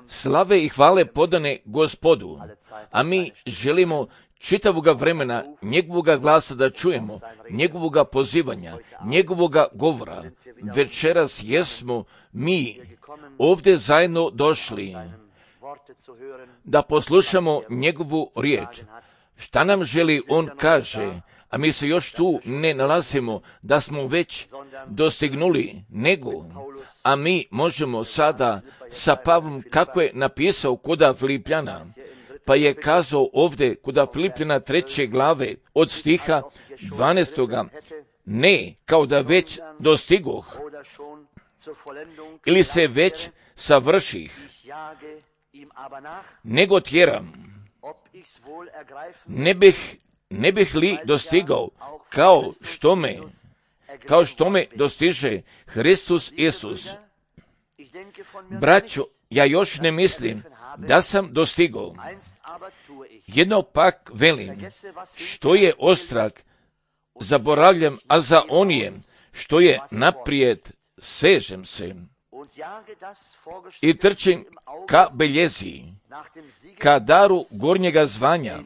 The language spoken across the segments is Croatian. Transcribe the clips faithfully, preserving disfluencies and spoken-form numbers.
Slave i hvale podane Gospodu, a mi želimo čitavoga vremena njegovoga glasa da čujemo, njegovoga pozivanja, njegovoga govora. Večeras jesmo mi ovdje zajedno došli da poslušamo njegovu riječ. Šta nam želi on kaže, a mi se još tu ne nalazimo da smo već dostignuli nego, a mi možemo sada sa Pavlom kako je napisao koda Filipljana, pa je kazao ovdje koda Filipljana treće glave od stiha dvanaestoga, ne kao da već dostigoh ili se već savrših, nego tjeram, ne bih, ne bih li dostigao kao što me, kao što me dostiže Hristos Isus. Braćo, ja još ne mislim da sam dostigao. Jedno pak velim, što je ostrag, zaboravljam, a za onije, što je naprijed, sežem se i trčim ka beljezi, ka daru gornjega zvanja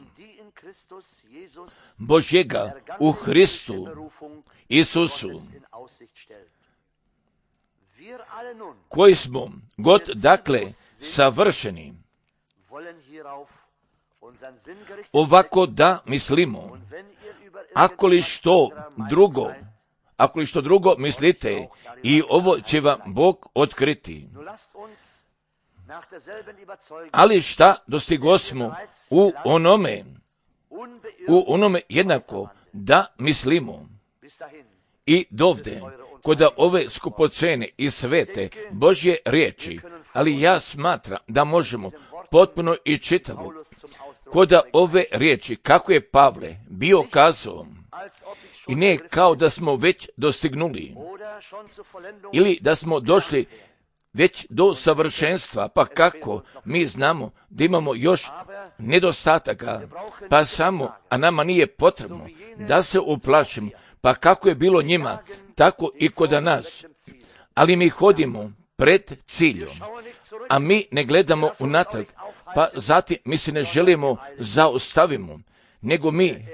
Božjega u Hristu Isusu, koji smo god dakle savršeni, ovako da mislimo, ako li što drugo, ako li što drugo mislite, i ovo će vam Bog otkriti. Ali šta dostigosmo u onome, u onome jednako da mislimo. I dovde, koda ove skupocene i svete Božje riječi, ali ja smatram da možemo potpuno i čitavo, koda ove riječi, kako je Pavle bio kazao, i ne kao da smo već dostignuli, ili da smo došli već do savršenstva, pa kako mi znamo da imamo još nedostataka, pa samo, a nama nije potrebno da se uplašimo, pa kako je bilo njima, tako i kod nas. Ali mi hodimo pred ciljom, a mi ne gledamo unatrag, pa zatim mi se ne želimo zaustavimo, nego mi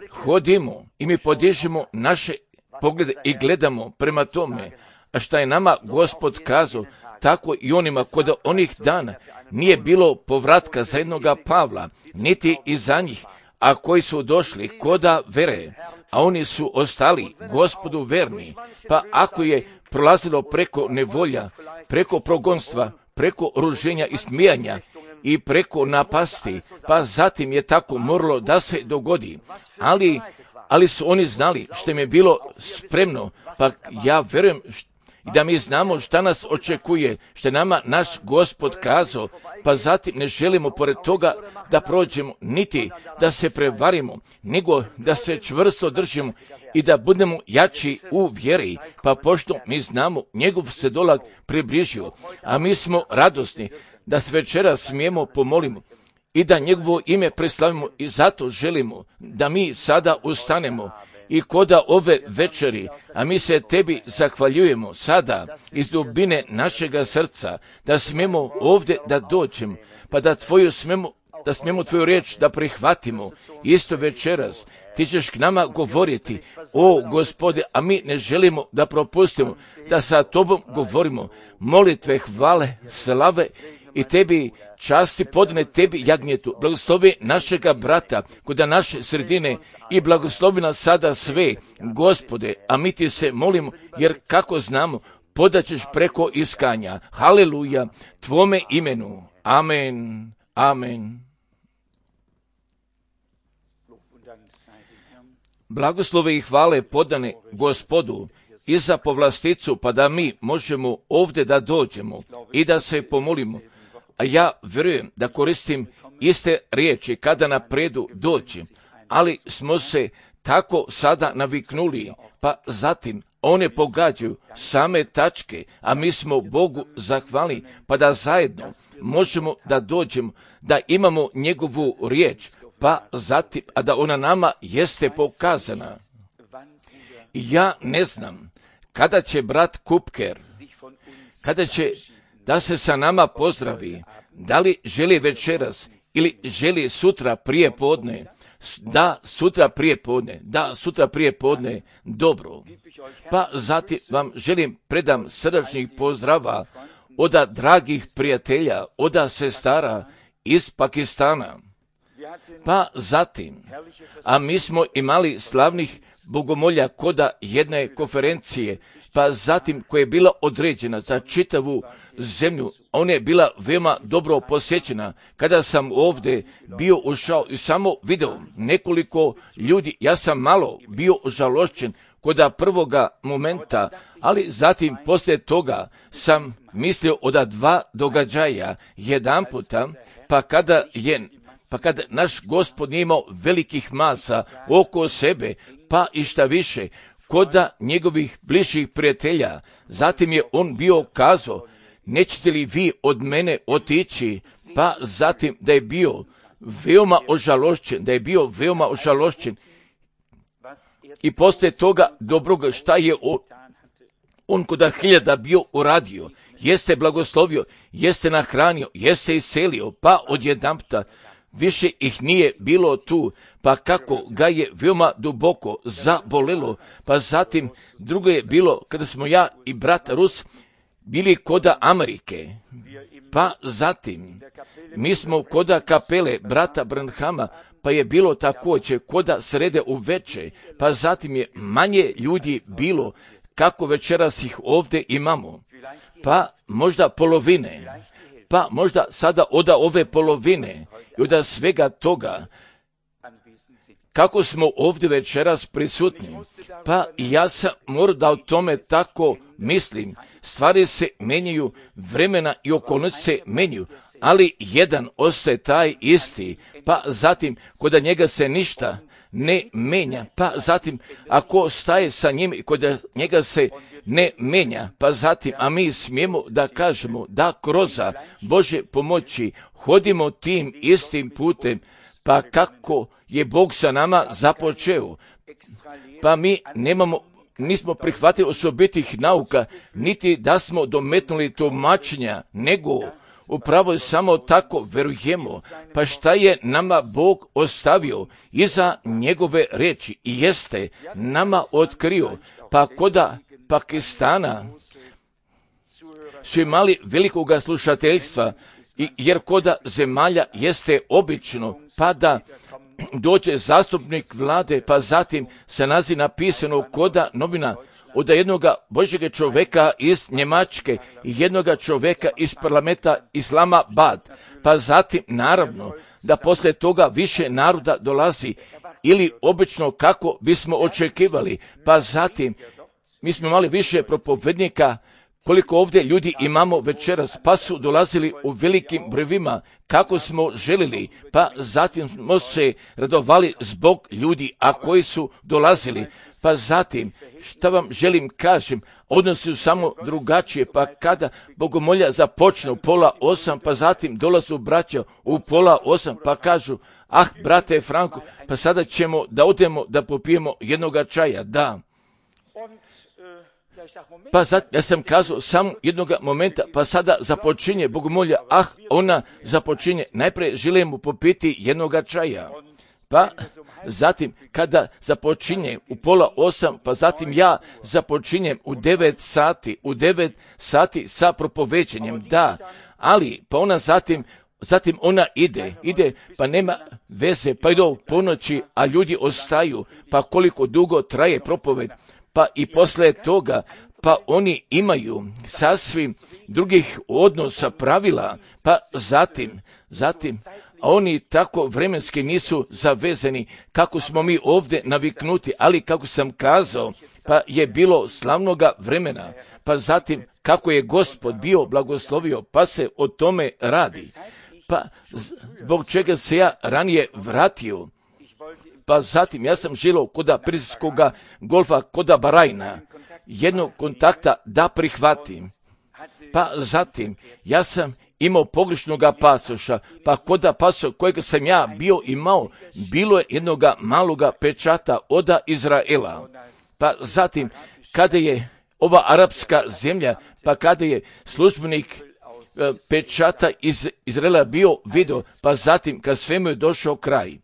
hodimo i mi podižemo naše poglede i gledamo prema tome, a šta je nama Gospod kazao, tako i onima kod onih dana nije bilo povratka za jednoga Pavla, niti i za njih, a koji su došli koda vere, a oni su ostali Gospodu verni, pa ako je prolazilo preko nevolja, preko progonstva, preko ruženja i smijanja i preko napasti, pa zatim je tako moralo da se dogodi, ali, ali su oni znali što im je bilo spremno, pa ja verujem i da mi znamo šta nas očekuje, što je nama naš Gospod kazao, pa zatim ne želimo pored toga da prođemo, niti da se prevarimo, nego da se čvrsto držimo i da budemo jači u vjeri, pa pošto mi znamo njegov se dolazak približio, a mi smo radosni da se večera smijemo pomolimo i da njegovo ime preslavimo, i zato želimo da mi sada ustanemo i koda ove večeri, a mi se tebi zahvaljujemo sada iz dubine našega srca, da smijemo ovdje da dođemo, pa da tvoju smijemo, da smijemo tvoju riječ da prihvatimo isto večeras. Ti ćeš k nama govoriti, o Gospode, a mi ne želimo da propustimo, da sa tobom govorimo molitve, hvale, slave i tebi časti podne tebi jagnjetu. Blagoslovi našega brata koda naše sredine i blagoslovi nas sada sve, Gospode, a mi ti se molimo, jer kako znamo, podaćeš preko iskanja. Haleluja, tvome imenu. Amen. Amen. Blagoslove i hvale podane Gospodu i za povlasticu, pa da mi možemo ovdje da dođemo i da se pomolimo. A ja vjerujem da koristim iste riječi kada napredu doći, ali smo se tako sada naviknuli, pa zatim one pogađaju same tačke, a mi smo Bogu zahvali, pa da zajedno možemo da dođemo, da imamo njegovu riječ, pa zatim, a da ona nama jeste pokazana. Ja ne znam kada će brat Kupker, kada će da se sa nama pozdravi. Da li želi večeras ili želi sutra prije podne? Da, sutra prije podne. Da, sutra prije podne. Dobro. Pa zatim vam želim predam srdačnih pozdrava od dragih prijatelja, od sestara iz Pakistana. Pa zatim, a mi smo imali slavnih bogomolja koda jedne konferencije, pa zatim koja je bila određena za čitavu zemlju, ona je bila veoma dobro posjećena. Kada sam ovdje bio ušao i samo video nekoliko ljudi, ja sam malo bio žalošćen koda prvoga momenta, ali zatim poslije toga sam mislio od dva događaja jedan puta, pa kada je Pa kad naš Gospod nije imao velikih masa oko sebe, pa i šta više, koda njegovih bližih prijatelja, zatim je on bio kazao, nećete li vi od mene otići, pa zatim da je bio veoma ožalošćen, da je bio veoma ožalošćen i poslije toga dobroga šta je on, on koda hiljada bio uradio, jeste blagoslovio, jeste nahranio, jeste iselio, pa odjedanputa više ih nije bilo tu, pa kako ga je veoma duboko zabolelo, pa zatim drugo je bilo kada smo ja i brat Rus bili koda Amerike, pa zatim mi smo koda kapele brata Branhama, pa je bilo također koda srede uveče, pa zatim je manje ljudi bilo kako večeras ih ovdje imamo, pa možda polovine, pa možda sada od ove polovine i od svega toga, kako smo ovdje večeras prisutni, pa ja sam morao da o tome tako mislim. Stvari se menjaju, vremena i okolnosti se menjaju, ali jedan ostaje taj isti, pa zatim kod njega se ništa ne menja, pa zatim ako staje sa njim i kod njega se ne menja, pa zatim, a mi smijemo da kažemo da kroz Bože pomoći hodimo tim istim putem, pa kako je Bog sa nama započeo, pa mi nemamo, nismo prihvatili osobitih nauka, niti da smo dometnuli tumačenja, nego upravo samo tako verujemo, pa šta je nama Bog ostavio iza njegove reči i jeste nama otkrio, pa koda Pakistana su imali velikoga slušateljstva, jer koda zemalja jeste obično, pa da dođe zastupnik vlade, pa zatim se nazi napisano koda novina od jednoga Božjega čovjeka iz Njemačke i jednoga čovjeka iz parlamenta Islamabad, pa zatim naravno da poslije toga više naroda dolazi ili obično kako bismo očekivali, pa zatim mi smo imali više propovednika koliko ovdje ljudi imamo večeras, pa su dolazili u velikim brojevima kako smo želili, pa zatim smo se radovali zbog ljudi, a koji su dolazili, pa zatim, šta vam želim kažem, odnosi su samo drugačije, pa kada bogomolja započne u pola osam, pa zatim dolazu braća u pola osam, pa kažu, ah, brate Franko, pa sada ćemo da odemo da popijemo jednoga čaja, da. Pa sad, ja sam kazao samo jednog momenta, pa sada započinje bogomolja, ah, ona započinje, najprije želimo popiti jednoga čaja. Pa zatim, kada započinje u pola osam, pa zatim ja započinjem u devet sati, u devet sati sa propoveđenjem, da, ali, pa ona zatim, zatim ona ide, ide, pa nema veze, pa idu u ponoći, a ljudi ostaju, pa koliko dugo traje propoved, pa i posle toga, pa oni imaju sasvim drugih odnosa, pravila, pa zatim, zatim, a oni tako vremenski nisu zavezani kako smo mi ovdje naviknuti, ali kako sam kazao, pa je bilo slavnoga vremena, pa zatim kako je Gospod bio blagoslovio, pa se o tome radi, pa zbog čega se ja ranije vratio, pa zatim ja sam želio koda Perzijskoga golfa, koda Barajna, jednog kontakta da prihvatim. Pa zatim ja sam imao pogrešnoga pasoša, pa koda pasoša kojeg sam ja bio imao, bilo je jednoga maloga pečata od Izraela. Pa zatim kada je ova arapska zemlja, pa kada je službenik pečata iz Izraela bio video, pa zatim kad svemu je došao kraj,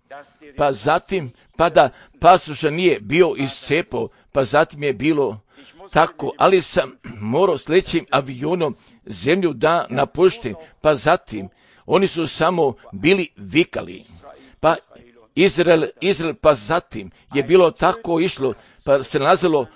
pa zatim pa da pasoša nije bio iscepao, pa zatim je bilo tako, ali sam morao s lećim avionom zemlju da napuštim, pa zatim oni su samo bili vikali, pa Izrael, Izrael, pa zatim je bilo tako išlo, pa se nalazilo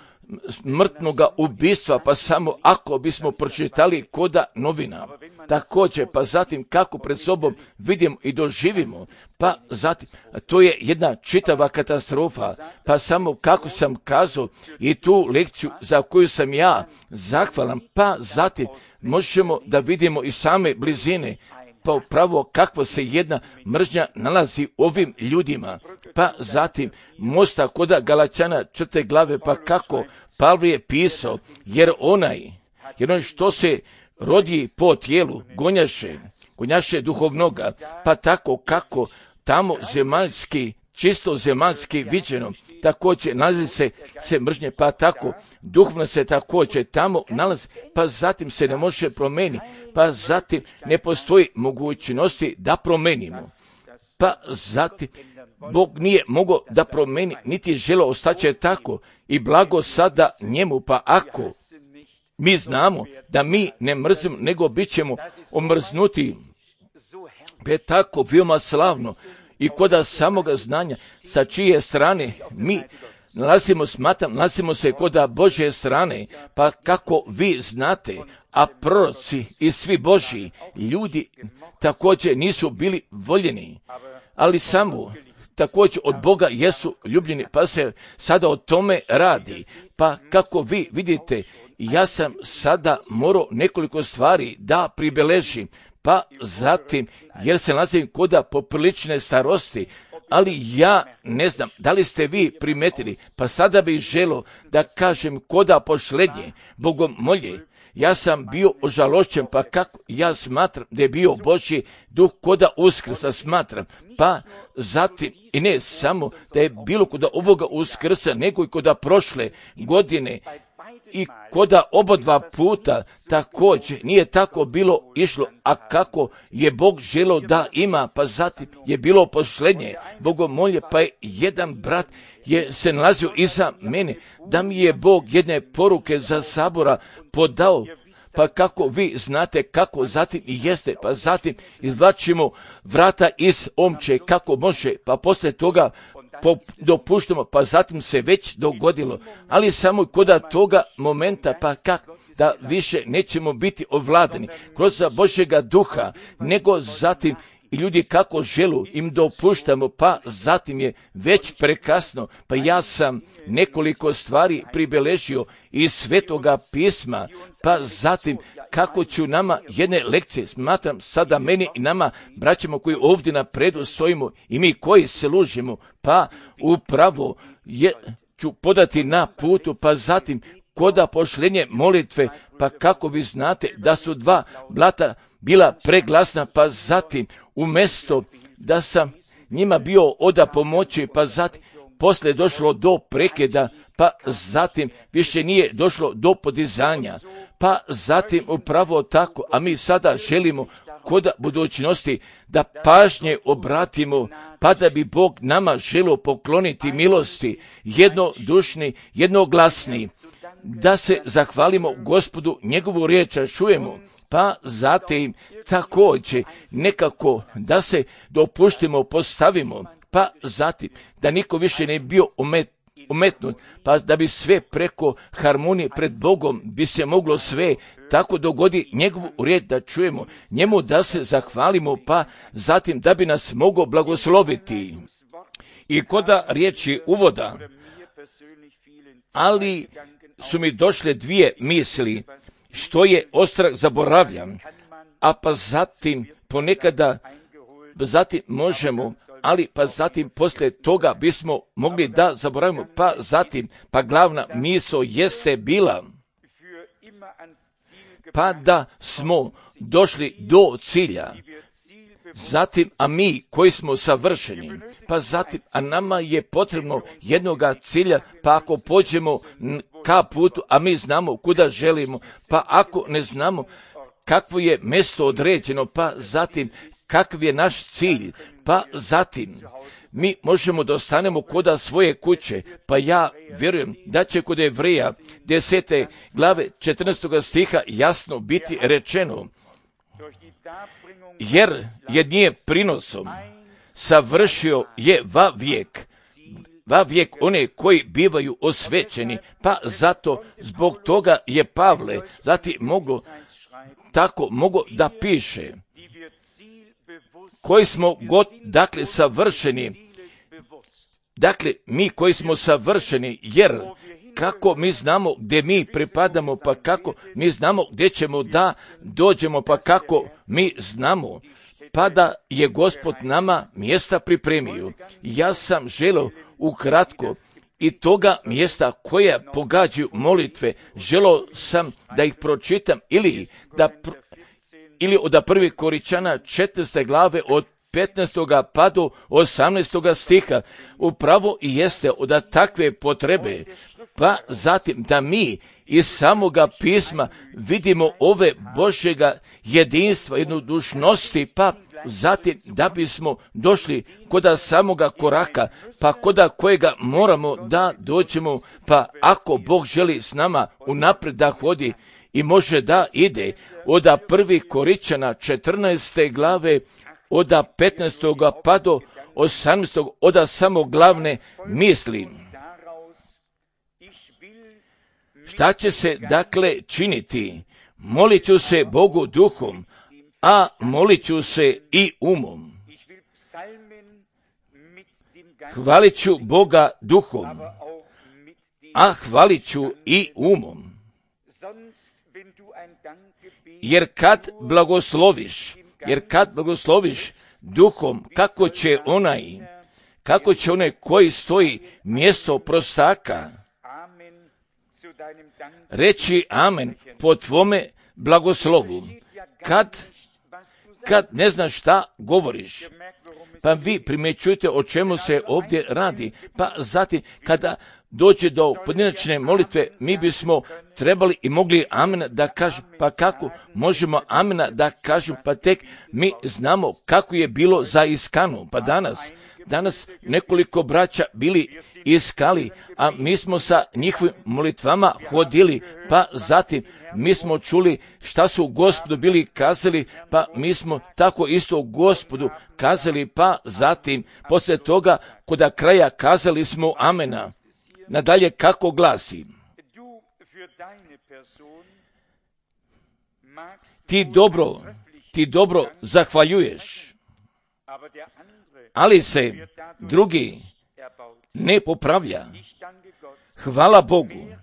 smrtnoga ubistva, pa samo ako bismo pročitali koda novina, također, pa zatim kako pred sobom vidimo i doživimo, pa zatim, to je jedna čitava katastrofa, pa samo kako sam kazao i tu lekciju za koju sam ja zahvalan, pa zatim možemo da vidimo i same blizine, pa upravo kakva se jedna mržnja nalazi u ovim ljudima, pa zatim mosta koda Galačana četvrte glave, pa kako Pavle je pisao, jer onaj, jer onaj što se rodi po tijelu, gonjaše, gonjaše duhovnoga, pa tako kako tamo zemaljski, čisto zemaljski viđeno, također nalazi se, se mržnje, pa tako duhovno se također tamo nalazi, pa zatim se ne može promijeniti, pa zatim ne postoji mogućnosti da promenimo, pa zatim Bog nije mogao da promeni, niti je želeo ostaće tako i blago sada njemu, pa ako mi znamo da mi ne mrzimo, nego bit ćemo omrznuti, pa tako veoma slavno i koda samoga znanja sa čije strane mi nalazimo, smatram, nalazimo se koda Božje strane, pa kako vi znate, a proroci i svi Božji ljudi također nisu bili voljeni, ali samo također od Boga jesu ljubljeni, pa se sada o tome radi. Pa kako vi vidite, ja sam sada morao nekoliko stvari da pribeležim, pa zatim, jer se nalazim koda poprilične starosti, ali ja ne znam, da li ste vi primetili, pa sada bih želio da kažem koda pošlednje, bogomolje, ja sam bio ožalošćen, pa kako ja smatram da je bio Božji duh koda uskrsa, smatram, pa zatim i ne samo da je bilo koda ovoga uskrsa, nego i koda prošle godine i koda oba dva puta također nije tako bilo išlo, a kako je Bog želio da ima, pa zatim je bilo posljednje bogomolje, pa je jedan brat je se nalazio iza mene, da mi je Bog jedne poruke za sabora podao, pa kako vi znate kako zatim i jeste, pa zatim izvlačimo vrata iz omče, kako može, pa poslije toga dopuštamo, pa zatim se već dogodilo, ali samo koda toga momenta, pa kako da više nećemo biti ovladani kroz Božjega duha, nego zatim i ljudi kako želu im dopuštamo, pa zatim je već prekasno, pa ja sam nekoliko stvari pribeležio iz Svetoga pisma, pa zatim kako ću nama jedne lekcije, smatram sada meni i nama, braćama koji ovdje na predu stojimo i mi koji se služimo, pa upravo je, ću podati na putu, pa zatim koda pošlenje molitve, pa kako vi znate da su dva blata bila preglasna, pa zatim umjesto da sam njima bio oda pomoći, pa zatim poslije došlo do prekida, pa zatim više nije došlo do podizanja, pa zatim upravo tako, a mi sada želimo kod budućnosti da pažnje obratimo, pa da bi Bog nama želio pokloniti milosti, jednodušni, jednoglasni, da se zahvalimo Gospodu, njegovu riječ čujemo, pa zatim također nekako da se dopuštimo, postavimo, pa zatim da niko više ne bio umet, umetnut, pa da bi sve preko harmonije pred Bogom bi se moglo sve tako dogodi njegovu riječ da čujemo, njemu da se zahvalimo, pa zatim da bi nas mogao blagosloviti. I koda riječi uvoda, ali su mi došle dvije misli, što je ostrah zaboravljam, a pa zatim ponekada, zatim možemo, ali pa zatim poslije toga bismo mogli da zaboravimo, pa zatim, pa glavna misao jeste bila, pa da smo došli do cilja, zatim, a mi koji smo savršeni, pa zatim, a nama je potrebno jednoga cilja, pa ako pođemo ka putu, a mi znamo kuda želimo, pa ako ne znamo kakvo je mjesto određeno, pa zatim kakav je naš cilj, pa zatim mi možemo da ostanemo koda svoje kuće, pa ja vjerujem da će kod Jevreja desete glave četrnaestog stiha jasno biti rečeno, jer je nije prinosom savršio je va vijek, va vijek one koji bivaju osvećeni, pa zato zbog toga je Pavle zatim mogo, tako mogo da piše, koji smo god, dakle, savršeni, dakle, mi koji smo savršeni, jer kako mi znamo gdje mi pripadamo, pa kako mi znamo gdje ćemo da dođemo, pa kako mi znamo, pa da je Gospod nama mjesta pripremio. Ja sam želio ukratko i toga mjesta koja pogađaju molitve, želio sam da ih pročitam ili da pr- ili od prvi Koričana četrnaeste glave od petnaestog pa do osamnaestog stiha. Upravo i jeste od takve potrebe, pa zatim da mi iz samoga pisma vidimo ove Božjega jedinstva, jednodušnosti, pa zatim da bismo došli koda samoga koraka, pa koda kojega moramo da dođemo, pa ako Bog želi s nama unaprijed da hodi i može da ide, od prvi Koričana četrnaeste glave, od petnaestog pa do osamnaestog, od samo glavne misli. Šta će se dakle činiti? Molit ću se Bogu duhom, a molit ću se i umom. Hvalit ću Boga duhom, a hvalit ću i umom. Jer kad blagosloviš, jer kad blagosloviš duhom, kako će onaj, kako će onaj koji stoji mjesto prostaka reći amen po tvome blagoslovu, kad, kad ne znaš šta govoriš. Pa vi primjećujete o čemu se ovdje radi. Pa zatim kada dođe do pojedinačne molitve, mi bismo trebali i mogli amena da kažemo, pa kako možemo amena da kažemo, pa tek mi znamo kako je bilo za iskanu. Pa danas, danas nekoliko braća bili iskali, a mi smo sa njihovim molitvama hodili, pa zatim mi smo čuli šta su Gospodu bili kazali, pa mi smo tako isto Gospodu kazali, pa zatim poslije toga koda kraja kazali smo amena. Nadalje kako glasi? Ti dobro, ti dobro zahvaljuješ, ali se drugi ne popravlja. Hvala Bogu,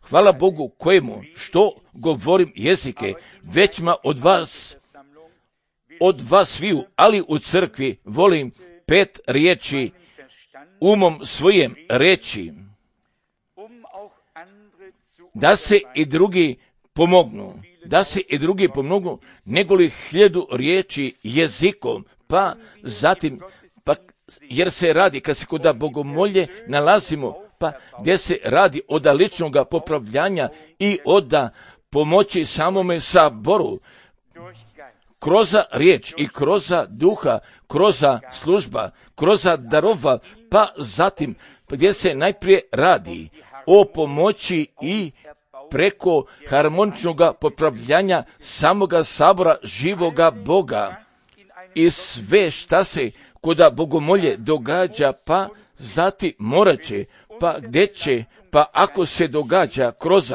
hvala Bogu kojemu što govorim jezike, većma od vas, od vas sviju, ali u crkvi volim pet riječi umom svojem reći, da se i drugi pomognu, da se i drugi pomognu, nego li hiljadu riječi jezikom, pa zatim, pa jer se radi, kad se kod bogomolje nalazimo, pa gdje se radi od ličnog popravljanja i od pomoći samome saboru, kroz riječ i kroz duha, kroz služba, kroz darova, pa zatim gdje se najprije radi o pomoći i preko harmoničnog popravljanja samoga sabora živoga Boga i sve šta se kod bogomolje događa, pa zatim morat će, pa gdje će, pa ako se događa kroz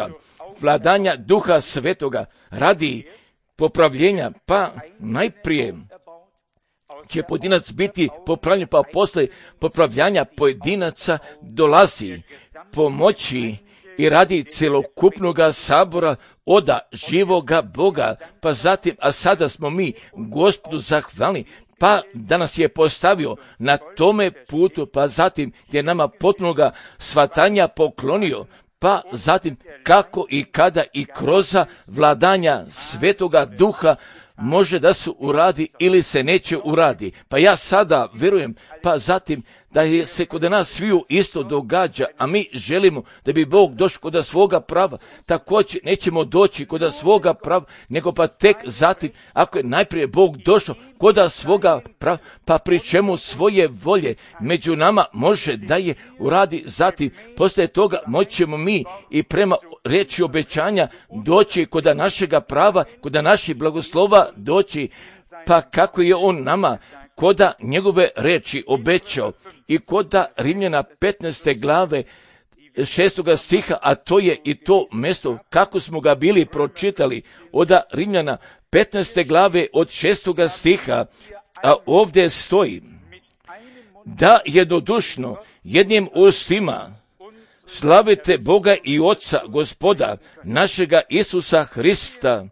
vladanja Duha Svetoga radi popravljenja, pa najprije će pojedinac biti popravljen, pa posle popravljanja pojedinaca dolazi pomoći i radi celokupnog sabora oda živoga Boga, pa zatim, a sada smo mi Gospodu zahvalni, pa da nas je postavio na tome putu, pa zatim je nama potpunoga svatanja poklonio, pa zatim kako i kada i kroz vladanja Svetoga Duha može da se uradi ili se neće uradi. Pa ja sada vjerujem, pa zatim da je se kod nas sviju isto događa, a mi želimo da bi Bog došao kod svoga prava. Također nećemo doći kod svoga prava, nego pa tek zatim, ako je najprije Bog došao kod svoga prava, pa pri čemu svoje volje među nama može da je uradi, zatim poslije toga moćemo mi i prema riječi obećanja doći kod našega prava, kod naših blagoslova doći, pa kako je on nama koda njegove reči obećao i koda Rimljana petnaeste glave šestoga stiha, a to je i to mjesto kako smo ga bili pročitali od Rimljana petnaeste glave od šestoga stiha, a ovdje stoji da jednodušno jednim ustima slavite Boga i Oca Gospoda našega Isusa Hrista.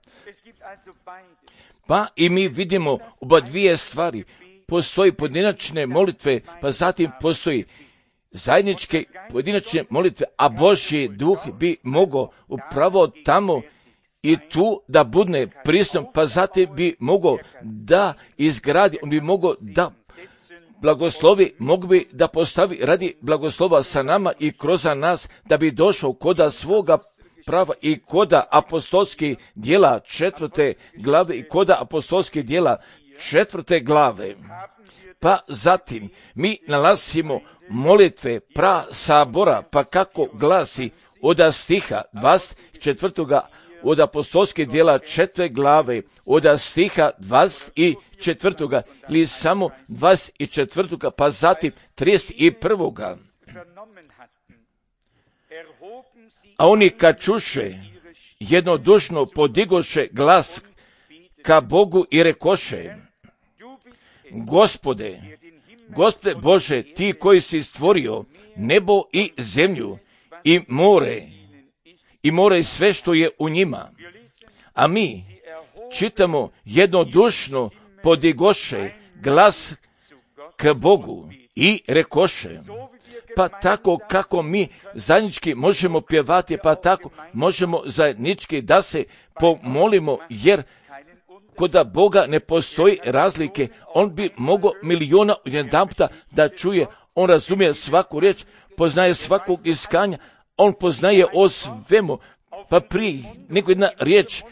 Pa i mi vidimo oba dvije stvari. Postoji pojedinačne molitve, pa zatim postoji zajedničke pojedinačne molitve, a Božji duh bi mogao upravo tamo i tu da budne prisutno, pa zatim bi mogao da izgradi, on bi mogao da blagoslovi, mogu bi da postavi radi blagoslova sa nama i kroz nas, da bi došao koda svoga prava i koda apostolskih djela četvrte glave i koda apostolskih djela četvrte glave. Pa zatim mi nalazimo molitve pra sabora, pa kako glasi od stiha dvadeset četvrtoga od apostolskih djela četvrte glave, od stiha dvadeset četvrtoga ili samo dvadeset četvrtoga, pa zatim trideset prvoga. A oni kad čuše, jednodušno podigoše glas ka Bogu i rekoše: Gospode, Gospode Bože, ti koji si stvorio nebo i zemlju i more, i more i sve što je u njima. A mi čitamo jednodušno podigoše glas k Bogu i rekoše. Pa tako kako mi zajednički možemo pjevati, pa tako možemo zajednički da se pomolimo, jer kod Boga ne postoji razlike. On bi mogao miliona jedanputa da čuje, on razumije svaku riječ, poznaje svakog iskanja, on poznaje o svemu, pa prije nego jedna riječ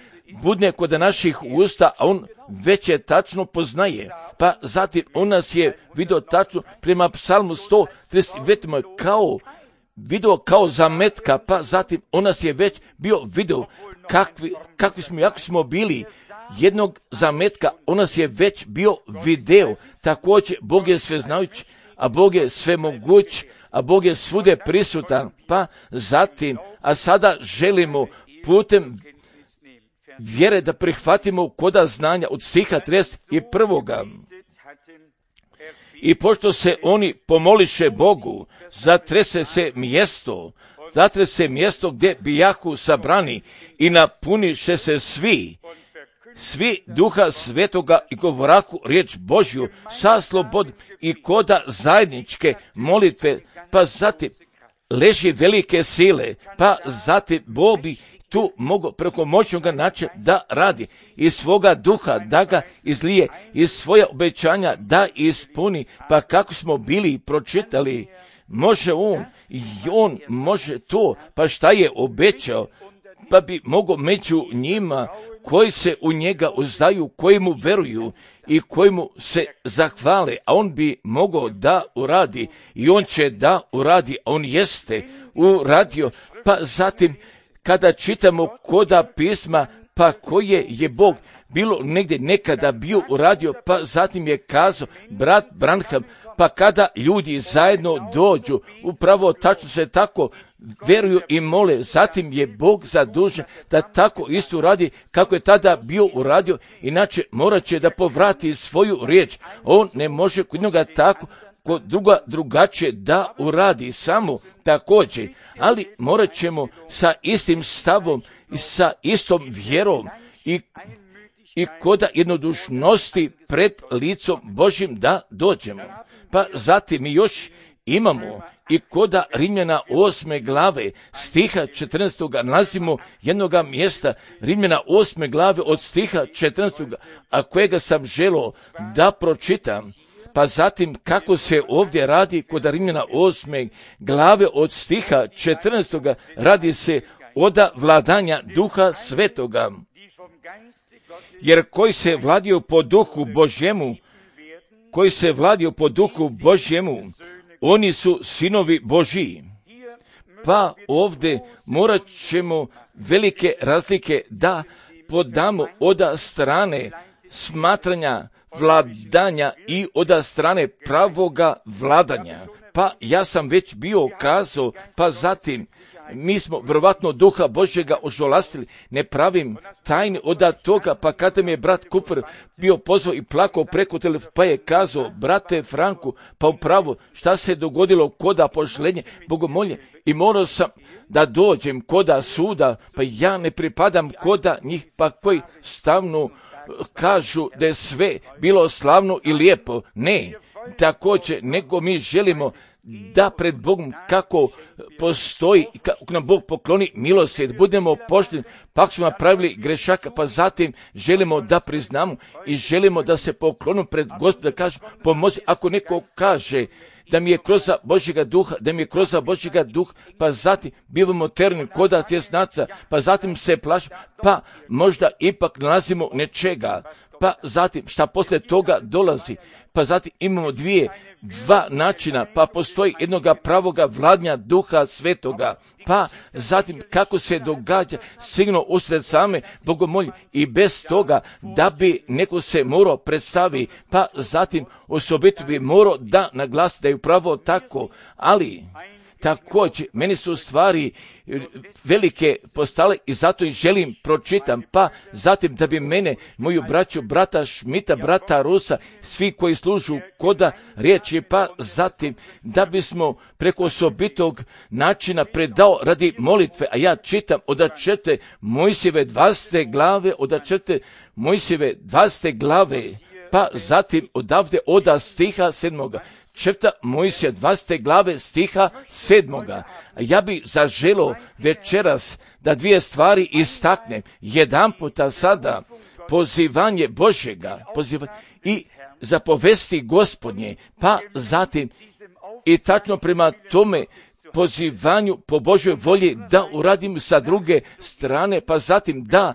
budne kod naših usta, a on već je tačno poznaje. Pa zatim on nas je vidio tačno prema psalmu sto trideset devet kao video kao zametka, pa zatim on nas je već bio video kakvi, kakvi smo, jako smo bili jednog zametka, on nas je već bio video. Također Bog je sveznajući, a Bog je svemoguć, a Bog je svude prisutan. Pa zatim, a sada želimo putem vjere da prihvatimo koda znanja od stiha trideset prvoga. I pošto se oni pomoliše Bogu, zatrese se mjesto, zatrese se mjesto gdje bijahu sabrani i napuniše se svi, svi duha svetoga i govorahu riječ Božju sa slobod i koda zajedničke molitve, pa zatim leži velike sile, pa zatim Bog bi tu mogu preko moćnoga načina da radi iz svoga duha, da ga izlije, iz svoja obećanja da ispuni, pa kako smo bili pročitali, može on, i on može to, pa šta je obećao, pa bi mogao među njima koji se u njega uzdaju, koji mu veruju i koji mu se zahvale, a on bi mogao da uradi i on će da uradi, a on jeste uradio. Pa zatim kada čitamo koda pisma, pa koje je Bog bilo negdje nekada bio uradio, pa zatim je kazao brat Branham, pa kada ljudi zajedno dođu, upravo tačno se tako veruju i mole, zatim je Bog zadužen da tako isto radi kako je tada bio uradio, inače morat će da povrati svoju riječ. On ne može kod njega tako, kod druga drugačije da uradi, samo također, ali morat ćemo sa istim stavom i sa istom vjerom i, i koda jednodušnosti pred licom Božim da dođemo. Pa zatim mi još imamo i koda Rimljana osme glave stiha četrnaestog nalazimo jednoga mjesta, Rimljana osme glave od stiha četrnaestog, a kojega sam želio da pročitam. Pa zatim kako se ovdje radi kod Rimljana osme glave od stiha četrnaestog radi se oda vladanja Duha Svetoga. Jer koji se vladio po Duhu Božjemu, koji se vladio po Duhu Božjemu, oni su sinovi Božji. Pa ovdje morat ćemo velike razlike da podamo od strane smatranja vladanja i od strane pravoga vladanja. Pa ja sam već bio kazao, pa zatim mi smo vjerovatno Duha Božjega ožalostili, ne pravim tajni od toga, pa kada mi je brat Kufr bio pozvao i plakao preko telefona, pa je kazao, brate Franku, pa upravo šta se dogodilo koda pošlenje bogomolje, i morao sam da dođem koda suda, pa ja ne pripadam koda njih, pa koji stavno kažu da je sve bilo slavno i lijepo. Ne, također, nego mi želimo da pred Bogom kako postoji, kako nam Bog pokloni milosrdje, budemo pošteni, pa smo napravili grešaka, pa zatim želimo da priznamo i želimo da se poklonu pred Gospoda, kažu pomozi. Ako neko kaže da mi je kroz Božjega duha, da mi je kroz Božjega duha, pa zatim bivamo terni koda tjesnaca, pa zatim se plašimo, pa možda ipak nalazimo nečega, pa zatim šta poslije toga dolazi, pa zatim imamo dvije, dva načina, pa postoji jednoga pravoga vladanja Duha Svetoga, pa zatim kako se događa sigurno usred same bogomolje i bez toga da bi neko se morao predstavi, pa zatim osobito bi morao da naglasi da je upravo tako, ali također, meni su stvari velike postale i zato i želim pročitam, pa zatim da bi mene, moju braću, brata Šmita, brata Rusa, svi koji služu koda riječi, pa zatim da bismo preko osobitog načina predao radi molitve, a ja čitam od četvrte Mojsijeve dvadesete glave, od četvrte Mojsijeve dvadesete glave, pa zatim odavde oda stiha sedmoga. Četvrta Mojsija dvadesete glave stiha sedmoga. Ja bi zaželo večeras da dvije stvari istaknem. Jedan puta sada pozivanje Božjega pozivanje i zapovesti Gospodnje, pa zatim i tačno prema tome pozivanju po Božjoj volji da uradim sa druge strane, pa zatim da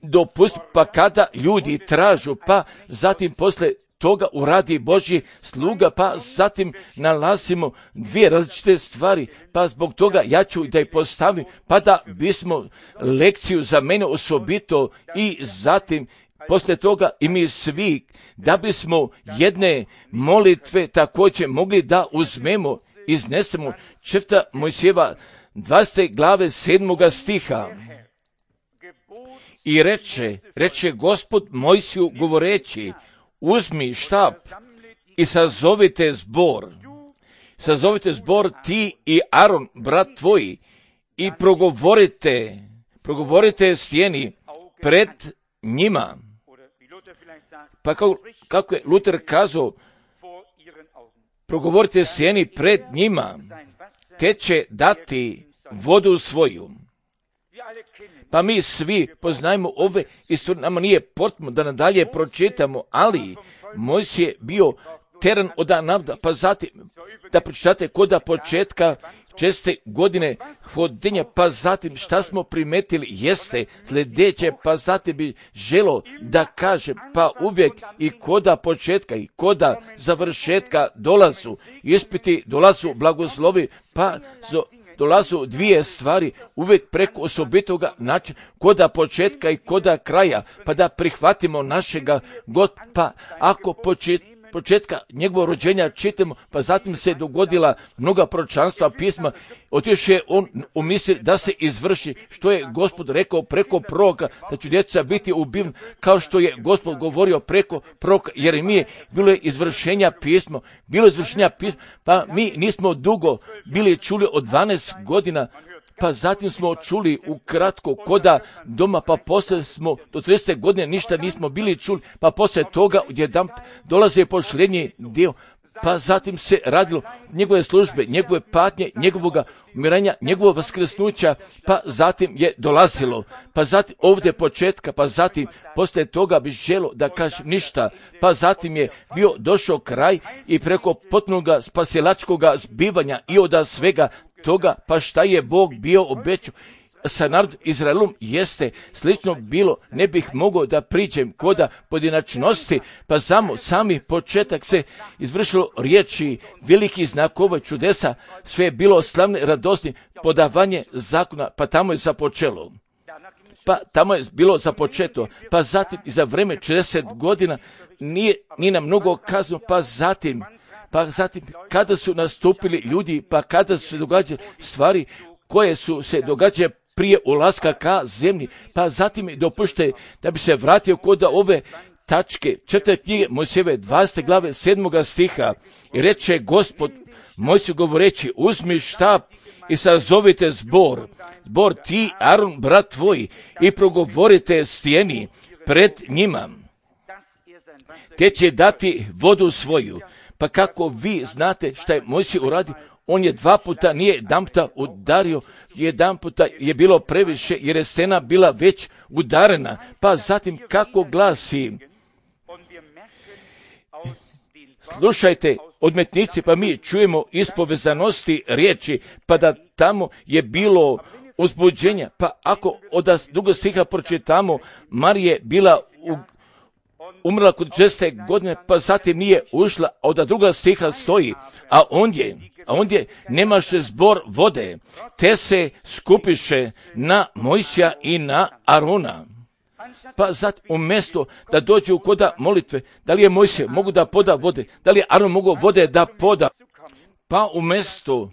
dopustim, pa kada ljudi tražu, pa zatim posle toga uradi Božji sluga, pa zatim nalazimo dvije različite stvari, pa zbog toga ja ću da ih postavim, pa da bismo lekciju za mene osobito i zatim poslije toga i mi svi, da bismo jedne molitve također mogli da uzmemo, iznesemo. Četvrta Mojsijeva dvadesete glave sedmoga stiha. I reče, reče Gospod Mojsiju govoreći, uzmi štap i sazovite zbor, sazovite zbor ti i Aron, brat tvoj, i progovorite, progovorite stijeni pred njima. Pa kako, kako je Luter kazao, progovorite stijeni pred njima, te će dati vodu svoju. Pa mi svi poznajemo ove istorije, nama nije potrebno da nadalje pročitamo, ali Mojsije je bio teran od naroda, pa zatim da pročitate koda početka česte godine hodenja, pa zatim šta smo primetili jeste sljedeće, pa zatim bi želo da kažem, pa uvijek i koda početka i koda završetka dolazu ispiti, dolazu blagoslovi, pa zo dolazu dvije stvari uvijek preko osobitoga načina, koda početka i koda kraja, pa da prihvatimo našega God, pa ako počet, početka njegovog rođenja čitamo, pa zatim se dogodila mnoga proročanstva pisma, otišao je on u misli da se izvrši što je Gospod rekao preko proroka, da će djeca biti ubivna, kao što je Gospod govorio preko proroka Jeremije, bilo je izvršenja pisma, bilo je izvršenja pisma, pa mi nismo dugo bili čuli od dvanaest godina, pa zatim smo čuli ukratko koda doma, pa poslije smo do tridesete godine ništa nismo bili čuli, pa poslije toga odjedanput dolaze posljednji dio, pa zatim se radilo njegove službe, njegove patnje, njegovoga umiranja, njegovog vaskrsnuća, pa zatim je dolazilo, pa zatim ovdje početka, pa zatim poslije toga bi želo da kažem ništa, pa zatim je bio došao kraj i preko potpunoga spasilačkoga zbivanja i od svega toga, pa šta je Bog bio obećao sa narodom Izraelom jeste slično bilo, ne bih mogao da priđem koda pojedinačnosti, pa samo sami početak se izvršilo riječi, veliki znakova, čudesa, sve je bilo slavne, radosni, podavanje zakona, pa tamo je započelo. Pa tamo je bilo započeto, pa zatim i za vreme četrdeset godina nije ni na mnogo kazno, pa zatim, pa zatim kada su nastupili ljudi, pa kada su se događale stvari koje su se događale prije ulaska ka zemlji, pa zatim je dopušte da bi se vratio kod ove tačke četvrte knjige Mojsijeve dvadesete glave sedmoga stiha i reče Gospod Mojsiju govoreći, uzmi štap i sazovite zbor, zbor ti, Aron, brat tvoj, i progovorite stijeni pred njima, te će dati vodu svoju. Pa kako vi znate šta je Mojsij uradio, on je dva puta, nije jedan puta udario, jedan puta je bilo previše jer je stena bila već udarena. Pa zatim kako glasi, slušajte odmetnici, pa mi čujemo iz povezanosti riječi, pa da tamo je bilo uzbuđenja. Pa ako od drugog stiha pročitamo, Marije bila u umrla kod četrdesete godine, pa zatim nije ušla, a od druga stiha stoji, a ondje, a ondje nemaše zbor vode, te se skupiše na Mojsija i na Arona. Pa zatim umjesto da dođu koda molitve, da li je Mojsije mogu da poda vode, da li je Aron mogu vode da poda, pa umjesto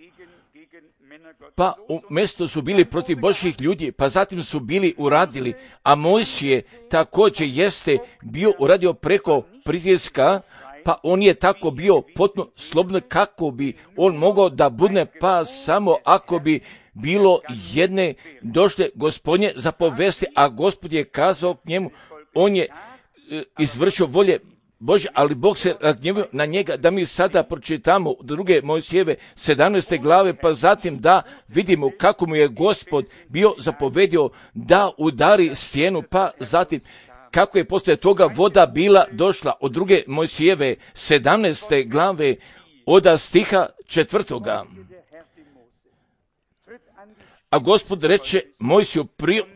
Pa umjesto su bili protiv Božjih ljudi, pa zatim su bili uradili, a Mojsije također jeste bio uradio preko pritiska, pa on je tako bio potpuno slobodan kako bi on mogao da budne, pa samo ako bi bilo jedne došle Gospodnje zapovesti, a Gospod je kazao k njemu, on je e, izvršio volje Bože, ali Bog se razgnjevio na njega, da mi sada pročitamo druge Mojsijeve sedamnaeste glave, pa zatim da vidimo kako mu je Gospod bio zapovedio da udari stijenu, pa zatim kako je poslije toga voda bila došla od druge Mojsijeve sedamnaeste glave od stiha četvrtoga. A Gospod reče Mojsiju,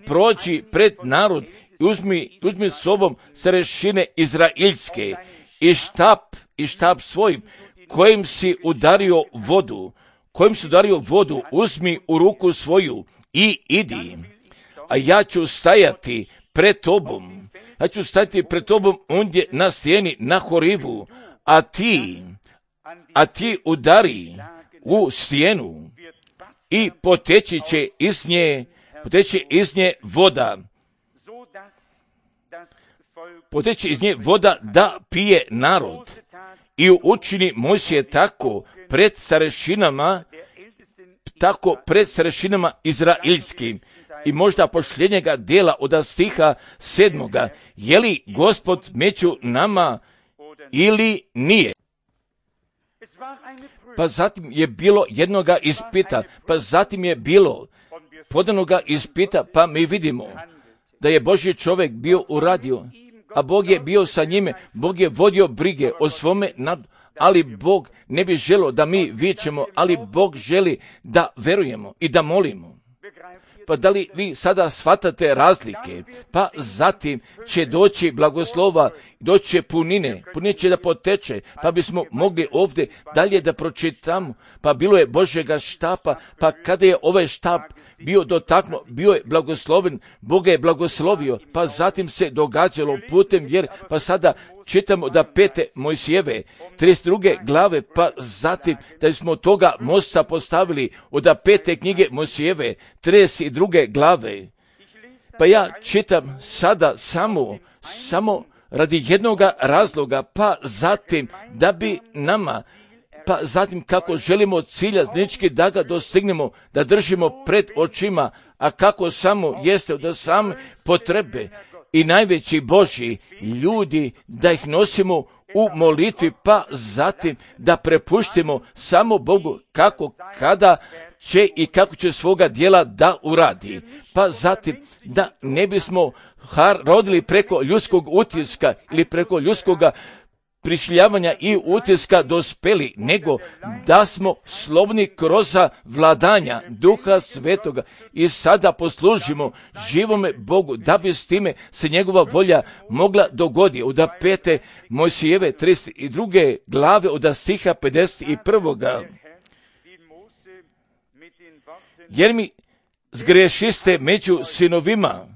prođi pred narod i uzmi, uzmi sobom starešine izraeljske i štap, i štap svojim kojim si udario vodu, kojim si udario vodu, uzmi u ruku svoju i idi, a ja ću stajati pred tobom, ja ću stajati pred tobom ondje na stijeni, na Horivu, a ti, a ti udari u stijenu i poteći će iz nje, poteći iz nje voda, poteći iz nje voda da pije narod. I učini Mojsije tako pred starešinama, tako pred starešinama izraelskim. I možda posljednjega dijela od stiha sedmoga, je li Gospod među nama ili nije? Pa zatim je bilo jednoga ispita, pa zatim je bilo podanoga ispita, pa mi vidimo da je Božji čovjek bio uradio, a Bog je bio sa njime, Bog je vodio brige o svome narodu, ali Bog ne bi želio da mi vičemo, ali Bog želi da verujemo i da molimo. Pa da li vi sada shvatate razlike? Pa zatim će doći blagoslova, doći će punine, punine će da poteče, pa bismo mogli ovdje dalje da pročitamo. Pa bilo je Božjega štapa, pa kada je ovaj štap bio dotaknuo, bio je blagosloven, Bog je blagoslovio, pa zatim se događalo putem jer, pa sada čitamo da pete Mojsijeve, trideset druge glave, pa zatim da smo toga mosta postavili od pete knjige Mojsijeve, trideset druge glave. Pa ja čitam sada samo, samo radi jednoga razloga, pa zatim da bi nama, pa zatim kako želimo cilja znički da ga dostignemo, da držimo pred očima, a kako samo jeste da same potrebe i najveći Božji ljudi, da ih nosimo u molitvi, pa zatim da prepuštimo samo Bogu kako, kada će i kako će svoga djela da uradi. Pa zatim da ne bismo rodili preko ljudskog utiska ili preko ljudskoga prišljavanja i utiska dospeli, nego da smo slobodni kroz vladanja Duha Svetoga i sada poslužimo živome Bogu, da bi s time se njegova volja mogla dogoditi. Od pete Mojsijeve trideset druge glave od stiha pedeset prvoga. Jer mi zgrešiste među sinovima,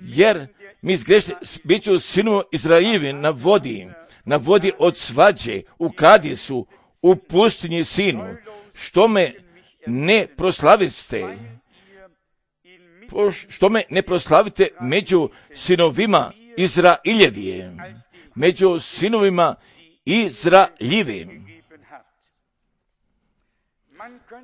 jer mi zgrešiste među sinovima Izraeljevi na vodi, na vodi od svađe, u Kadisu, u pustinji sinu, što me ne proslaviste, što me ne proslavite među sinovima Izraeljevije, među sinovima Izraeljevim.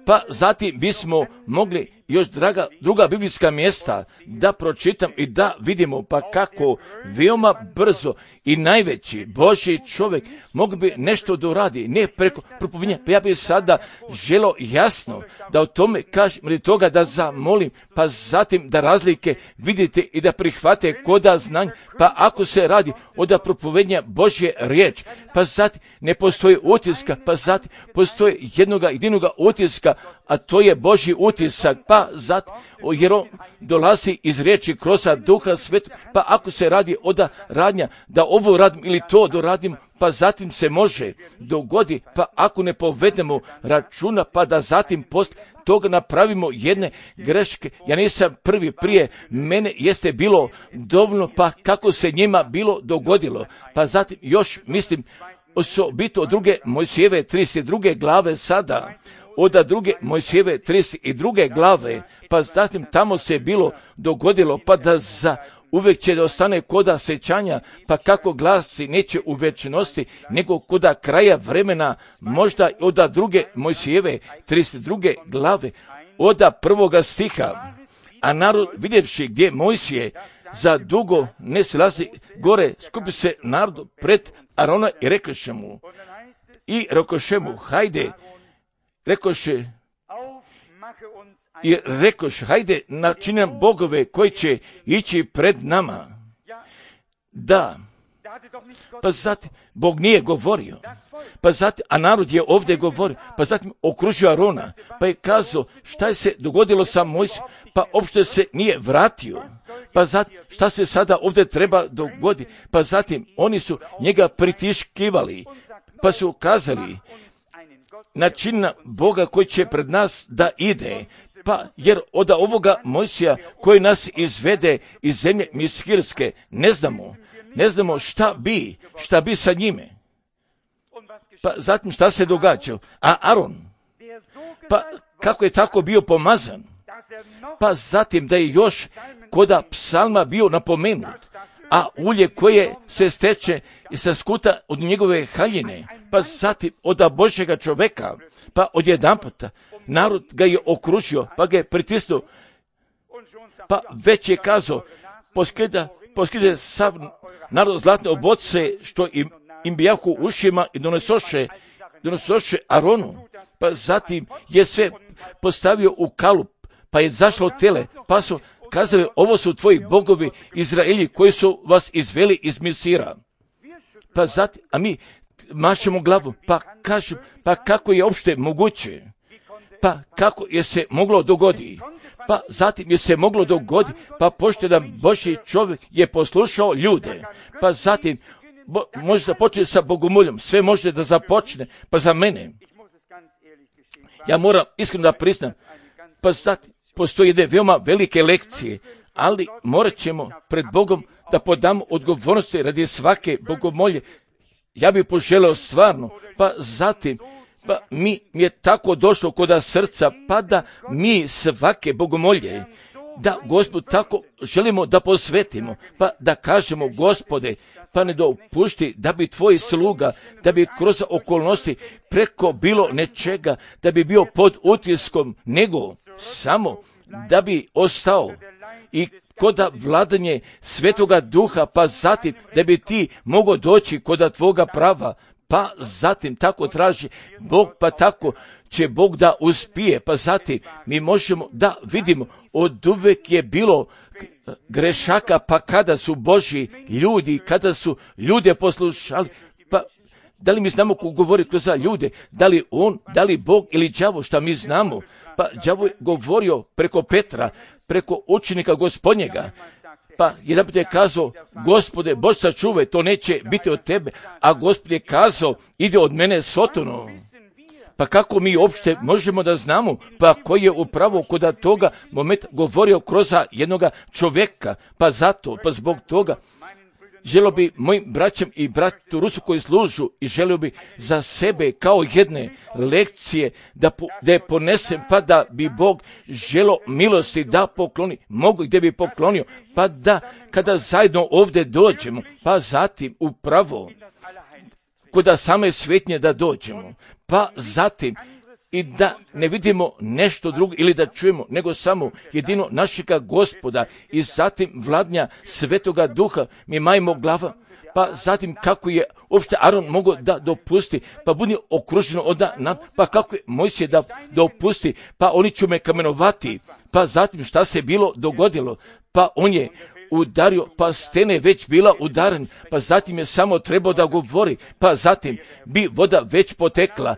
Pa zatim bismo mogli još draga, druga biblijska mjesta da pročitam i da vidimo pa kako veoma brzo i najveći Božji čovjek mogu bi nešto doradi, ne preko propovinja. Pa ja bih sada želo jasno da o tome kažem ili toga da zamolim, pa zatim da razlike vidite i da prihvate koda znanja. Pa ako se radi od propovenja Božje riječ, pa zatim ne postoji utiska, pa zatim postoji jednoga jedinoga utiska, a to je Božji utisak, pa zato, jer on dolazi iz riječi kroz Duha Svetog, pa ako se radi od radnja, da ovo radim ili to doradim, pa zatim se može dogodi, pa ako ne povedemo računa, pa da zatim post toga napravimo jedne greške. Ja nisam prvi, prije mene jeste bilo dovoljno, pa kako se njima bilo dogodilo, pa zatim još mislim osobito od druge Mojsijeve trideset druge glave sada, od druge Mojsijeve trideset druge glave, pa zatim tamo se bilo dogodilo, pa da za uvijek će da ostane koda sećanja, pa kako glasi neće u večnosti, nego koda kraja vremena, možda od druge Mojsijeve trideset druge glave, od prvoga stiha. A narod vidjevši gdje Mojsije za dugo ne silazi gore, skupi se narod pred Arona i rekoše mu, i rekoše mu, hajde, rekoše, i rekoše, hajde, načini nam bogove koji će ići pred nama. Da, pa zatim, Bog nije govorio, pa zatim, a narod je ovdje govorio, pa zatim okružio Arona, pa je kazao šta je se dogodilo sa Mojsijom, pa uopšte se nije vratio. Pa zatim, šta se sada ovdje treba dogoditi, pa zatim oni su njega pritiškivali, pa su kazali, načina Boga koji će pred nas da ide, pa jer od ovoga Mojsija koji nas izvede iz zemlje Miskirske, ne znamo, ne znamo šta bi, šta bi sa njime. Pa zatim šta se događa? A Aron, pa kako je tako bio pomazan, pa zatim da je još koda psalma bio napomenut, a ulje koje se steče i sa skuta od njegove haljine, pa zatim od Božjega čoveka, pa odjedanputa narod ga je okružio, pa ga je pritisnuo, pa već je kazao, poskida, poskide sav narod zlatne oboce što im, im bijahu ušima i donesoše, donesoše Aronu, pa zatim je sve postavio u kalup, pa je zašlo tele, pa su kazali, ovo su tvoji bogovi Izraelji koji su vas izveli iz Misira. Pa zatim, a mi mašemo glavu, pa kažem, pa kako je uopšte moguće? Pa kako je se moglo dogoditi? Pa zatim je se moglo dogoditi, pa pošto jedan Božji čovjek je poslušao ljude, pa zatim bo, može započeti sa bogomoljom, sve može da započne, pa za mene. Ja moram iskreno da priznam, pa zatim postoje jedne veoma velike lekcije, ali morat ćemo pred Bogom da podamo odgovornosti radi svake bogomolje. Ja bih poželeo stvarno, pa zatim, pa mi je tako došlo koda srca, pa da mi svake bogomolje, da Gospod tako želimo da posvetimo, pa da kažemo, Gospode, pa ne dopušti da bi tvoj sluga, da bi kroz okolnosti preko bilo nečega, da bi bio pod utiskom, nego samo da bi ostao i koda vladanje Svetoga Duha, pa zatim da bi ti mogao doći koda tvoga prava, pa zatim tako traži Bog, pa tako će Bog da uspije, pa zatim mi možemo da vidimo, od uvek je bilo grešaka, pa kada su Božji ljudi, kada su ljude poslušali, pa da li mi znamo ko govori kroz ljude, da li on, da li Bog ili đavo, šta mi znamo? Pa đavo je govorio preko Petra, preko učenika Gospodnjega, pa jedan put je kazao, Gospode, Bož sačuvaj, to neće biti od tebe, a Gospod je kazao, ide od mene Sotonu. Pa kako mi uopšte možemo da znamo, pa koji je upravo kod toga momenta govorio kroz jednoga čovjeka, pa zato, pa zbog toga, želio bi mojim braćem i bratu Rusu koji služu i želio bi za sebe kao jedne lekcije da, po, da je ponesem, pa da bi Bog želo milosti da pokloni, mogu gdje bi poklonio, pa da kada zajedno ovdje dođemo, pa zatim upravo kuda same svetnje da dođemo, pa zatim i da ne vidimo nešto drugo ili da čujemo, nego samo jedino našega Gospoda i zatim vladnja Svetoga Duha, mi majmo glava, pa zatim kako je uopšte Aron mogao da dopusti, pa budi okruženo od nam, pa kako je Mojsije da dopusti, pa oni ću me kamenovati, pa zatim šta se bilo dogodilo, pa on je udario, pa stene već bila udaren, pa zatim je samo trebao da govori, pa zatim bi voda već potekla.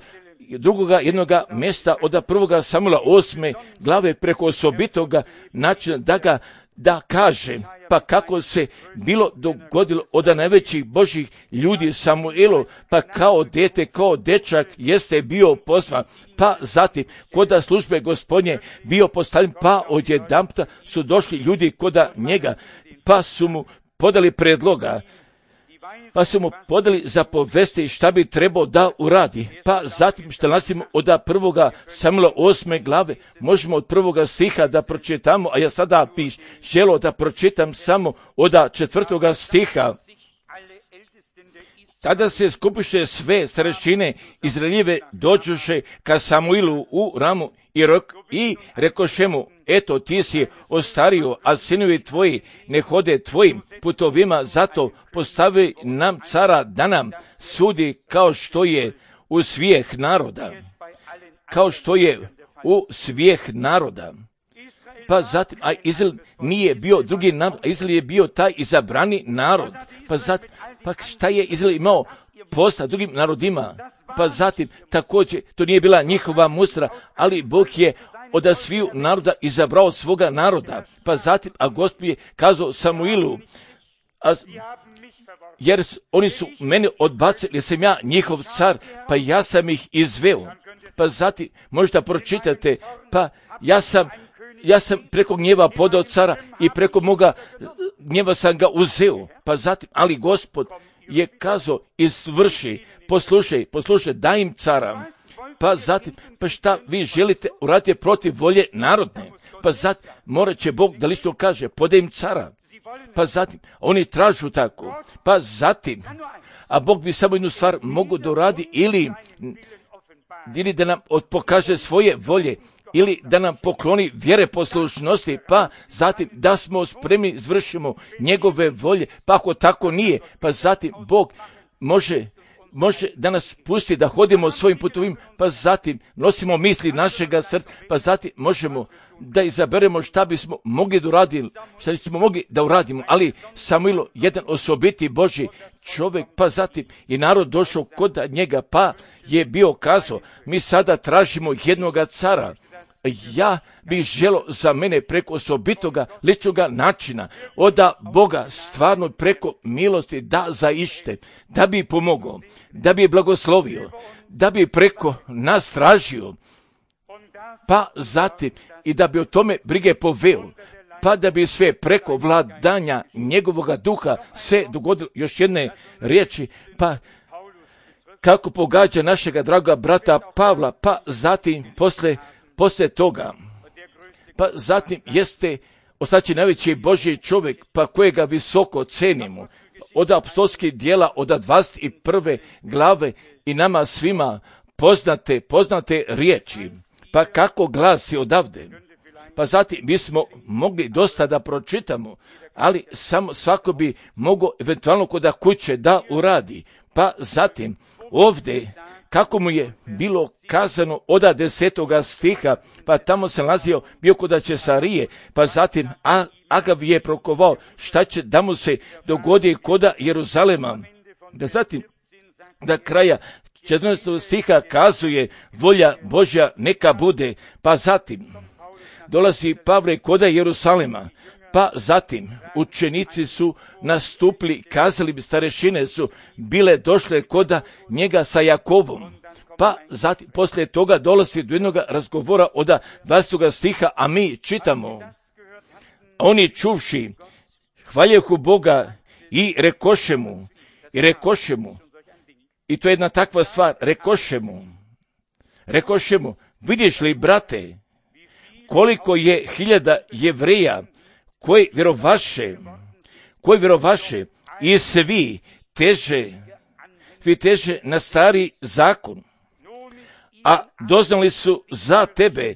Drugoga jednoga mjesta od prvoga Samuela osme glave preko osobitoga načina da ga da kaže, pa kako se bilo dogodilo od najvećih Božjih ljudi Samuelu, pa kao dete, kao dečak jeste bio pozvan, pa zatim koda službe Gospodnje bio postavljen, pa odjedanputa su došli ljudi koda njega, pa su mu podali predloga, pa su mu podali za povesti šta bi trebao da uradi. Pa zatim što nalazimo od prvoga Samuela osme glave, možemo od prvoga stiha da pročitamo, a ja sada bih želio da pročitam samo od četvrtoga stiha. Tada se skupiše sve starešine Izraeljive dođuše ka Samuilu u Ramu i, rok, i rekoše mu, eto ti si ostario, a sinovi tvoji ne hode tvojim putovima, zato postavi nam cara da nam sudi kao što je u svijeh naroda. Kao što je u svijeh naroda. Pa zatim, a Izrael nije bio drugi narod, a Izrael je bio taj izabrani narod. Pa zatim, pa šta je Izrael imao posla drugim narodima? Pa zatim, također, to nije bila njihova mustra, ali Bog je od sviju naroda izabrao svoga naroda. Pa zatim, a Gospod je kazao Samuilu, a, jer oni su mene odbacili, jer sam ja njihov car, pa ja sam ih izveo. Pa zatim, možda pročitate, pa ja sam Ja sam preko gnjeva podao cara i preko moga gnjeva sam ga uzeo. Pa zatim, ali Gospod je kazao, izvrši, poslušaj, poslušaj, daj im cara. Pa zatim, pa šta vi želite uraditi protiv volje narodne? Pa zatim, morat će Bog da lično kaže, podaj im cara. Pa zatim, oni tražu tako. Pa zatim, a Bog bi samo jednu stvar mogu da uradi ili, ili da nam pokaže svoje volje, ili da nam pokloni vjere poslušnosti, pa zatim da smo spremni izvršimo njegove volje, pa ako tako nije, pa zatim Bog može, može da nas pusti da hodimo svojim putovima, pa zatim nosimo misli našega srca, pa zatim možemo da izaberemo šta bismo mogli da uradimo, šta bismo mogli da uradimo, ali Samuilo, jedan osobiti Božji čovjek, pa zatim i narod došao kod njega, pa je bio kazao, mi sada tražimo jednoga cara. Ja bih želio za mene preko osobitoga ličnoga načina od Boga stvarno preko milosti da zaište, da bi pomogao, da bi blagoslovio, da bi preko nas tražio, pa zatim i da bi o tome brige poveo, pa da bi sve preko vladanja njegovoga duha se dogodilo. Još jedne riječi, pa kako pogađa našega draga brata Pavla, pa zatim posle Poslije toga, pa zatim jeste ostaći najveći Božji čovjek, pa kojega visoko cenimo, od apostolskih dijela, od dvadeset prve glave i nama svima poznate, poznate riječi, pa kako glasi odavde. Pa zatim bismo mogli dosta da pročitamo, ali samo svako bi mogao eventualno kod kuće da uradi. Pa zatim ovdje kako mu je bilo kazano od desetoga stiha, pa tamo se nalazio bio kod Cesarije, pa zatim Agav je prokovao šta će da mu se dogodi kod Jeruzalema. Da zatim da kraja četrnaestog stiha kazuje volja Božja neka bude, pa zatim dolazi Pavle kod Jeruzalema, pa zatim učenici su nastupili, kazali bi, starešine su bile došle kod njega sa Jakovom, pa zatim poslije toga dolazi do jednog razgovora od dvadestog stiha, a mi čitamo, oni čuvši hvaljehu Boga i rekoše mu, i rekoše mu, i to je jedna takva stvar, rekoše mu, rekoše mu, vidiš li, brate, koliko je hiljada Jevreja koji vjerovaše, koji vjerovaše i svi teže, svi teže na stari zakon, a doznali su za tebe,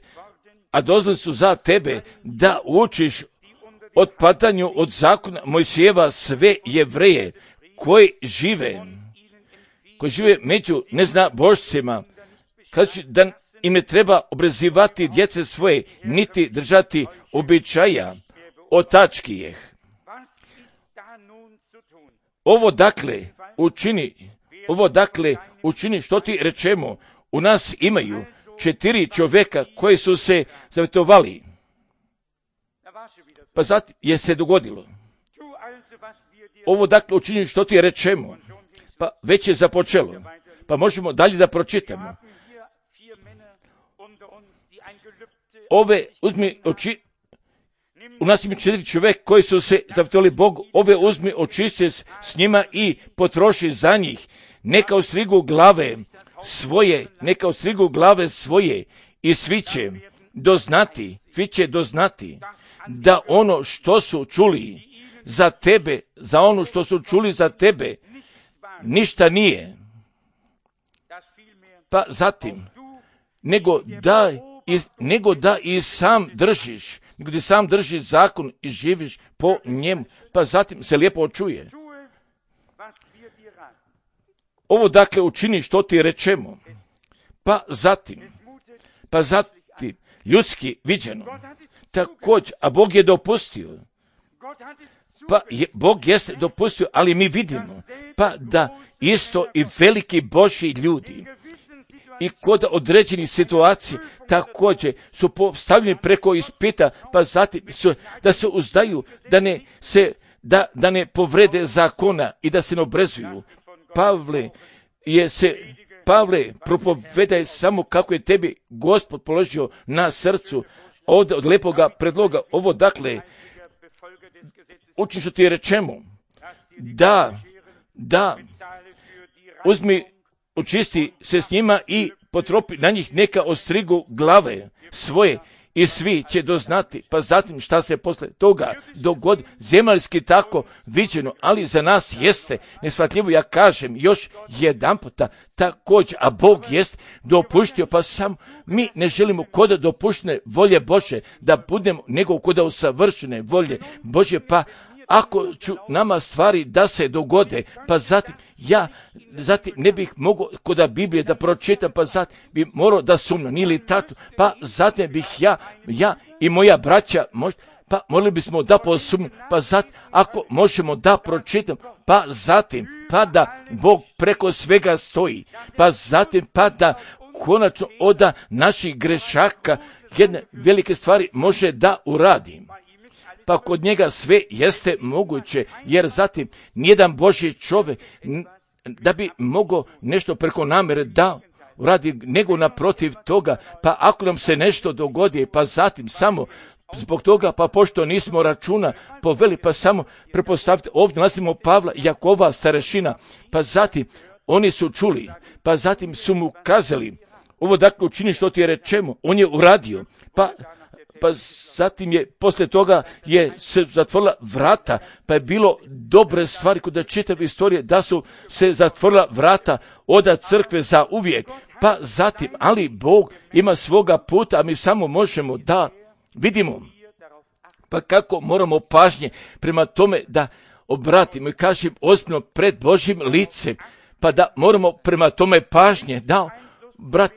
a doznali su za tebe da učiš otpadanju od zakona Mojsijeva sve Jevreje koji žive, koji žive među neznabošcima, kaže da im ne treba obrazivati djece svoje, niti držati običaja otačkijeh. Ovo dakle učini, ovo dakle učini što ti rečemo, u nas imaju četiri čovjeka koji su se zavjetovali. Pa zatim je se dogodilo. Ovo dakle učini što ti rečemo, pa već je započelo, pa možemo dalje da pročitamo. Ove uzmi oči, u nas ima četiri čovjek koji su se zavjetovali Bogu, ove uzmi očisti s njima i potroši za njih, neka ostrigu glave svoje, neka ostrigu glave svoje i svi će doznati, svi će doznati da ono što su čuli za tebe, za ono što su čuli za tebe, ništa nije. Pa zatim, nego da, i, nego da i sam držiš, nego da sam držiš zakon i živiš po njemu, pa zatim se lijepo čuje. Ovo dakle učini što ti rečemo, pa zatim, pa zatim, ljudski viđeno, također, a Bog je dopustio, pa je, Bog jeste dopustio, ali mi vidimo, pa da isto i veliki Božji ljudi i kod određenih situacija također su postavljeni preko ispita, pa zatim su, da se uzdaju, da ne, se, da, da ne povrede zakona i da se ne obrezuju. Pavle je se, Pavle propovedaj samo kako je tebi Gospod položio na srcu od, od lepoga predloga. Ovo dakle, učin što ti rečemo, da, da, uzmi, očisti se s njima i potropi na njih neka ostrigu glave svoje i svi će doznati, pa zatim šta se posle toga dogodi, zemaljski tako viđeno, ali za nas jeste neshvatljivo, ja kažem još jedan puta također, a Bog jest dopuštio, pa sam mi ne želimo kod dopuštene volje Bože da budemo, nego kod usavršene volje Bože, pa ako ću nama stvari da se dogode, pa zatim ja zatim ne bih mogao kod Biblije da pročitam, pa zatim bi morao da sumnjam, nije li tato, pa zatim bih ja, ja i moja braća, možda, pa morali bismo da posumnjamo, pa zatim ako možemo da pročitam, pa zatim, pa da Bog preko svega stoji, pa zatim, pa da konačno od naših grešaka jedne velike stvari može da uradim. Pa kod njega sve jeste moguće, jer zatim nijedan Božji čovjek da bi mogao nešto preko namere da uradi, nego naprotiv toga, pa ako nam se nešto dogodi, pa zatim samo zbog toga, pa pošto nismo računa poveli, pa samo prepostavite, ovdje nalazimo Pavla i Jakova starešina, pa zatim oni su čuli, pa zatim su mu kazali, ovo dakle učini što ti je rečemo, on je uradio, pa pa zatim je, poslije toga je se zatvorila vrata, pa je bilo dobre stvari kod čitave istorije, da su se zatvorila vrata od crkve za uvijek, pa zatim, ali Bog ima svoga puta, a mi samo možemo da vidimo pa kako moramo pažnje prema tome da obratimo i kažem ozbiljno pred Božjim licem, pa da moramo prema tome pažnje, da, brat,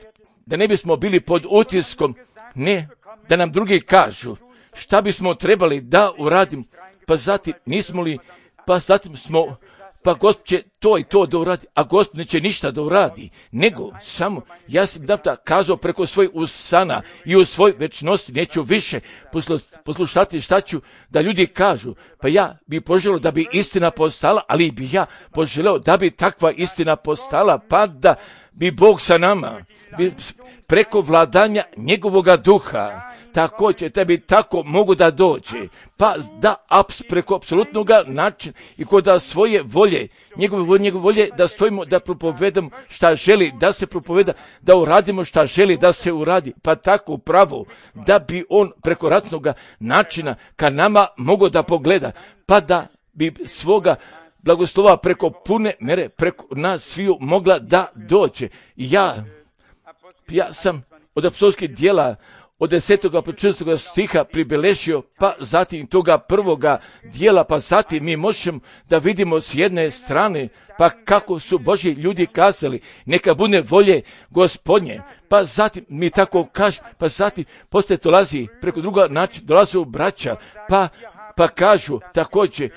da ne bismo bili pod utiskom, ne, da nam drugi kažu šta bismo trebali da uradimo, pa zatim nismo li, pa zatim smo, pa Gospod će to i to da uradi, a Gospod neće ništa da uradi, nego samo, ja sam da kazao preko svoj usana i u svoj večnosti, neću više poslušati šta ću da ljudi kažu, pa ja bi poželio da bi istina postala, ali bi ja poželio da bi takva istina postala, pa da bi Bog sa nama, bi preko vladanja njegovoga duha, također tebi tako mogu da dođe, pa da aps, preko apsolutnog načina i kod da svoje volje, njegove volje, njegove volje, da stojimo, da propovedamo šta želi da se propoveda, da uradimo šta želi da se uradi, pa tako pravo, da bi on preko ratnog načina ka nama mogao da pogleda, pa da bi svoga blagoslova preko pune mere, preko nas sviju mogla da dođe. Ja, ja sam od apostolskih djela od desetog pa četrnaestog stiha pribeležio, pa zatim toga prvoga dijela, pa zatim mi možemo da vidimo s jedne strane, pa kako su Božji ljudi kazali, neka bude volje Gospodnje, pa zatim mi tako kaže, pa zatim poslije dolazi preko druga način, dolaze u braća, pa, pa kažu također,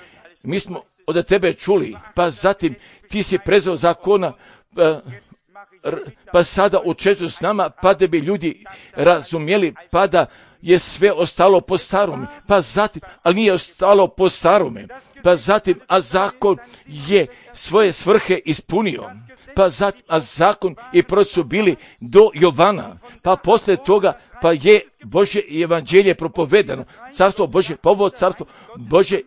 mi smo od tebe čuli, pa zatim ti si prezao zakona, pa, pa sada učestvuju s nama, pa da bi ljudi razumjeli, pa da je sve ostalo po starome, pa zatim, ali nije ostalo po starome, pa zatim, a zakon je svoje svrhe ispunio, pa zatim, a zakon i proroci su bili do Jovana, pa poslije toga, pa je Božje evanđelje propovedano, carstvo Božje, pa ovo carstvo Božje,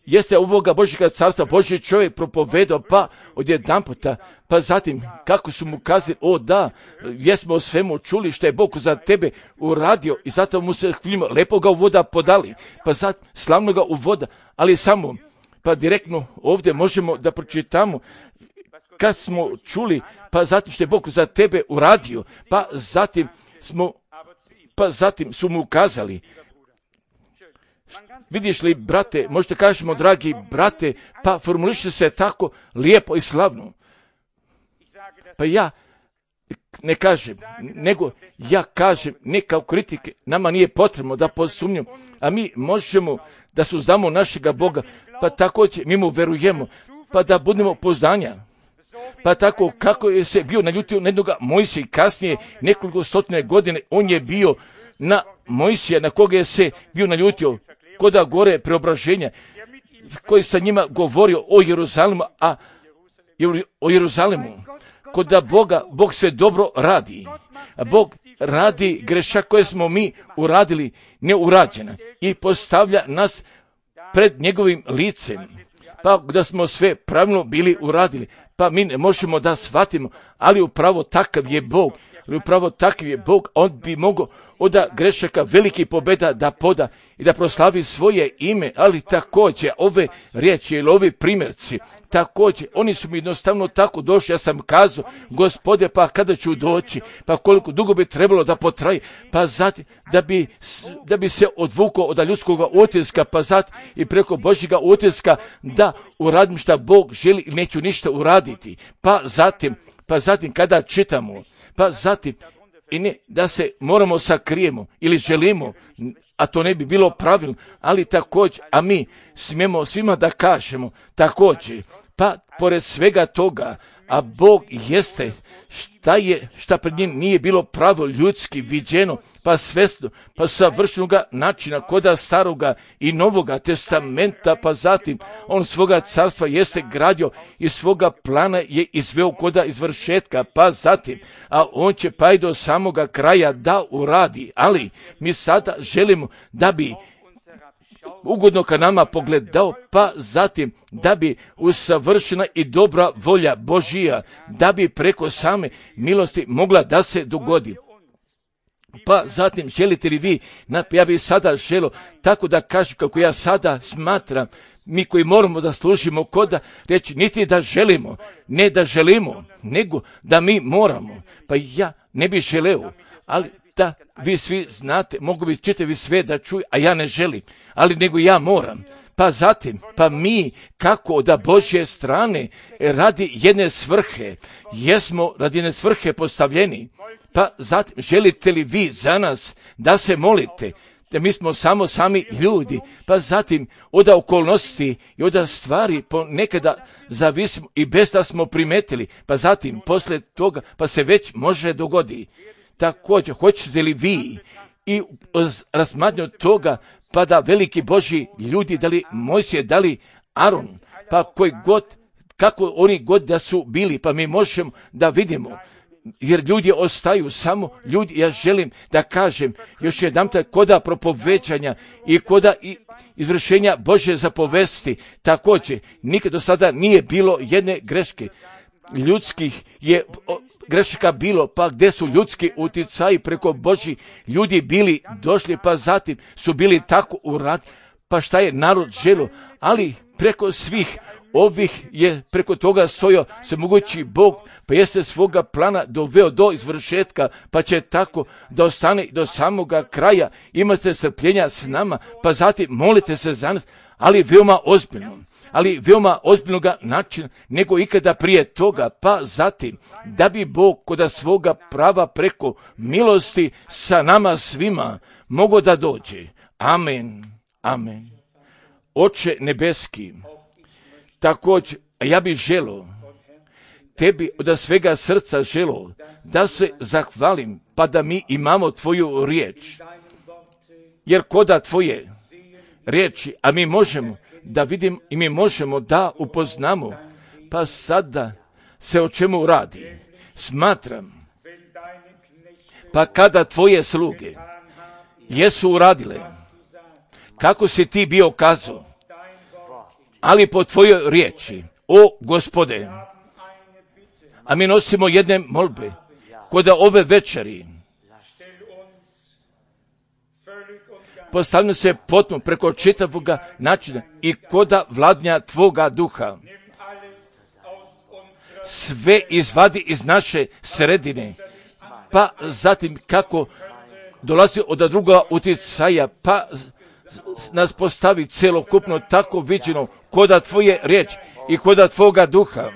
jeste ovoga Božjega carstva Božji čovjek propovedao, pa odjedanputa, pa zatim kako su mu kazali, o da, jesmo o svemu čuli što je Bog za tebe uradio i zato mu se hvalimo, lepo ga uvoda podali, pa zatim slavno ga uvoda, ali samo, pa direktno ovdje možemo da pročitamo kad smo čuli, pa zatim što je Bog za tebe uradio, pa zatim smo, pa zatim su mu kazali, vidiš li, brate, možete kažemo, dragi brate, pa formuliše se tako lijepo i slavno. Pa ja ne kažem, nego ja kažem, ne kao kritike, nama nije potrebno da posumnjamo, a mi možemo da suzdamo našega Boga, pa također mi mu verujemo, pa da budemo poznanja. Pa tako kako je se bio naljutio na jednoga Mojsija i kasnije nekoliko stotine godine, on je bio na Mojsija, na koga je se bio naljutio, koda gore preobraženja, koji sa njima govorio o Jeruzalemu, a o Jeruzalemu, koda Boga, Bog sve dobro radi. A Bog radi grešak koje smo mi uradili neurađena i postavlja nas pred njegovim licem. Pa da smo sve pravilno bili uradili, pa mi ne možemo da shvatimo, ali upravo takav je Bog, ali upravo takav je Bog, on bi mogao od grešaka veliki pobjeda da poda i da proslavi svoje ime, ali također ove riječi ili ovi primjerci, također, oni su mi jednostavno tako došli, ja sam kazao, Gospode, pa kada ću doći, pa koliko dugo bi trebalo da potraji, pa zatim, da bi, da bi se odvukao od ljudskog utiska, pa zatim i preko Božjega utiska, da uradim šta Bog želi i neću ništa uraditi, pa zatim, pa zatim kada čitamo, pa zatim, i ne da se moramo sakrijemo ili želimo, a to ne bi bilo pravilno, ali također, a mi smijemo svima da kažemo također, pa pored svega toga, a Bog jeste šta je, šta pred njim nije bilo pravo ljudski viđeno, pa svesno, pa savršenoga načina koda staroga i novoga testamenta, pa zatim on svoga carstva jeste gradio i svoga plana je izveo koda izvršetka, pa zatim, a on će pa i do samoga kraja da uradi, ali mi sada želimo da bi ugodno ka nama pogledao, pa zatim da bi usavršena i dobra volja Božija, da bi preko same milosti mogla da se dogodi. Pa zatim, želite li vi, ja bih sada želio tako da kažem kako ja sada smatram, mi koji moramo da služimo koda reći niti da želimo, ne da želimo, nego da mi moramo. Pa ja ne bih želeo, ali da vi svi znate, mogu bi čitavi sve da čuju, a ja ne želim, ali nego ja moram. Pa zatim, pa mi kako da Božje strane radi jedne svrhe, jesmo radi jedne svrhe postavljeni. Pa zatim, želite li vi za nas da se molite, da mi smo samo sami ljudi, pa zatim od okolnosti i od stvari ponekada zavisimo i bez da smo primetili, pa zatim poslije toga pa se već može dogodi. Također, hoćete li vi i razmatnju toga pa da veliki Božji ljudi, da li Mojsije, da li Aron, pa koji god, kako oni god da su bili, pa mi možemo da vidimo, jer ljudi ostaju samo ljudi. Ja želim da kažem još jedanput, koda propovećanja i koda izvršenja Božje zapovesti, također nikad do sada nije bilo jedne greške. Ljudskih je greška bilo, pa gdje su ljudski utjecaji preko Božji ljudi bili došli, pa zatim su bili tako uradili, pa šta je narod želio, ali preko svih ovih je preko toga stojao svemogući Bog, pa jeste svoga plana doveo do izvršetka, pa će tako da ostane do samoga kraja. Imate strpljenja s nama, pa zatim molite se za nas, ali veoma ozbiljno, ali veoma ozbiljnoga načina nego ikada prije toga, pa zatim da bi Bog kod svoga prava preko milosti sa nama svima mogao da dođe. Amen, amen. Oče nebeski, također, ja bih želio, tebi od svega srca želio, da se zahvalim, pa da mi imamo tvoju riječ. Jer koda tvoje riječi, a mi možemo da vidimo i mi možemo da upoznamo, pa sada se o čemu radi. Smatram, pa kada tvoje sluge jesu uradile, kako si ti bio kazao, ali po tvojoj riječi, o Gospode, a mi nosimo jedne molbe, koda ove večeri, postavljamo se potpuno preko čitavoga načina i koda vladnja tvoga duha. Sve izvadi iz naše sredine, pa zatim kako dolazi od druga utjecaja, pa nas postavi celokupno tako viđeno koda tvoje riječi i koda tvoga duha,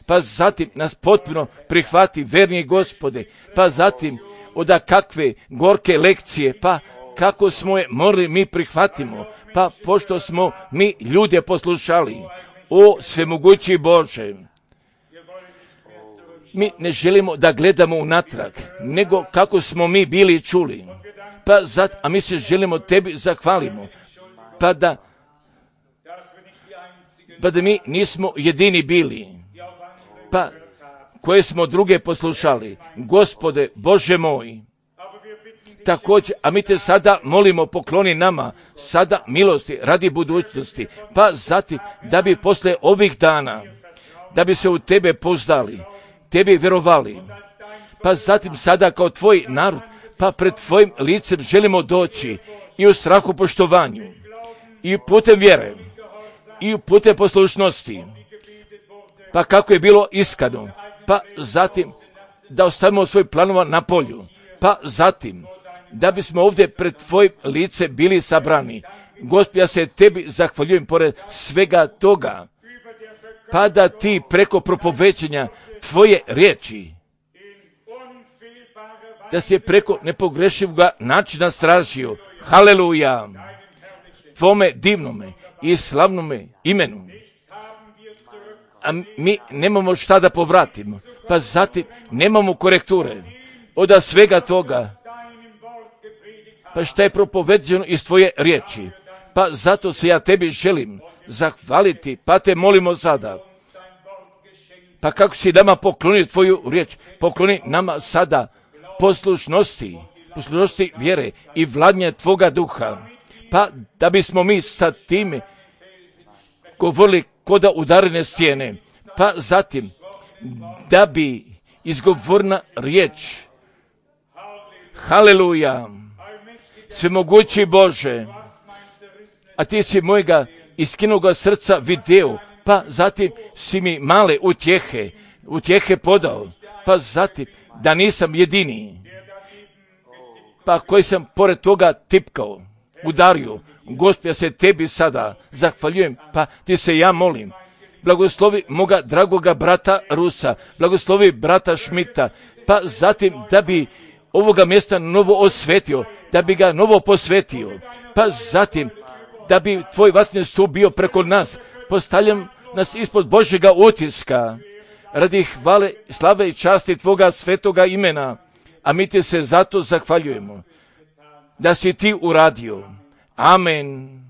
pa zatim nas potpuno prihvati, verni Gospode, pa zatim oda kakve gorke lekcije, pa kako smo je morali mi prihvatimo, pa pošto smo mi ljude poslušali, o svemogući Bože, mi ne želimo da gledamo unatrag, nego kako smo mi bili čuli, pa zat, a mi se želimo tebi zahvalimo, pa da, pa da mi nismo jedini bili, pa koje smo druge poslušali, Gospode Bože moj. Također, a mi te sada molimo, pokloni nama sada milosti radi budućnosti, pa zatim da bi posle ovih dana, da bi se u tebe poznali, tebi vjerovali, pa zatim sada kao tvoj narod, pa pred tvojim licem želimo doći i u strahu poštovanju, i putem vjere, i putem poslušnosti, pa kako je bilo iskano, pa zatim da ostavimo svoj planova na polju, pa zatim da bismo ovdje pred tvojim lice bili sabrani. Gospod, ja se tebi zahvaljujem pored svega toga, pa da ti preko propovećenja tvoje riječi, da si je preko nepogrešivog načina stražio. Haleluja! Tvome divnome i slavnome imenu. A mi nemamo šta da povratimo, pa zatim nemamo korekture od svega toga, pa šta je propoveđeno iz tvoje riječi. Pa zato se ja tebi želim zahvaliti, pa te molimo sada. Pa kako si nama poklonio tvoju riječ, pokloni nama sada poslušnosti, poslušnosti vjere i vladnje tvoga duha. Pa da bismo mi sa time govorili koda udarene stijene, pa zatim da bi izgovorna riječ, haleluja, svemogući Bože, a ti si mojega iskinuga srca video, pa zatim si mi male utjehe, utjehe podao, pa zatim da nisam jedini, pa koji sam pored toga tipkao, udario. Gospod, ja se tebi sada zahvaljujem, pa ti se ja molim. Blagoslovi moga dragoga brata Rusa, blagoslovi brata Šmita, pa zatim da bi ovoga mjesta novo osvetio, da bi ga novo posvetio, pa zatim da bi tvoj vatreni stup bio preko nas. Postavljam nas ispod Božjega utiska, radi hvale, slave i časti tvoga svetoga imena, a mi ti se zato zahvaljujemo da si ti uradio. Amen.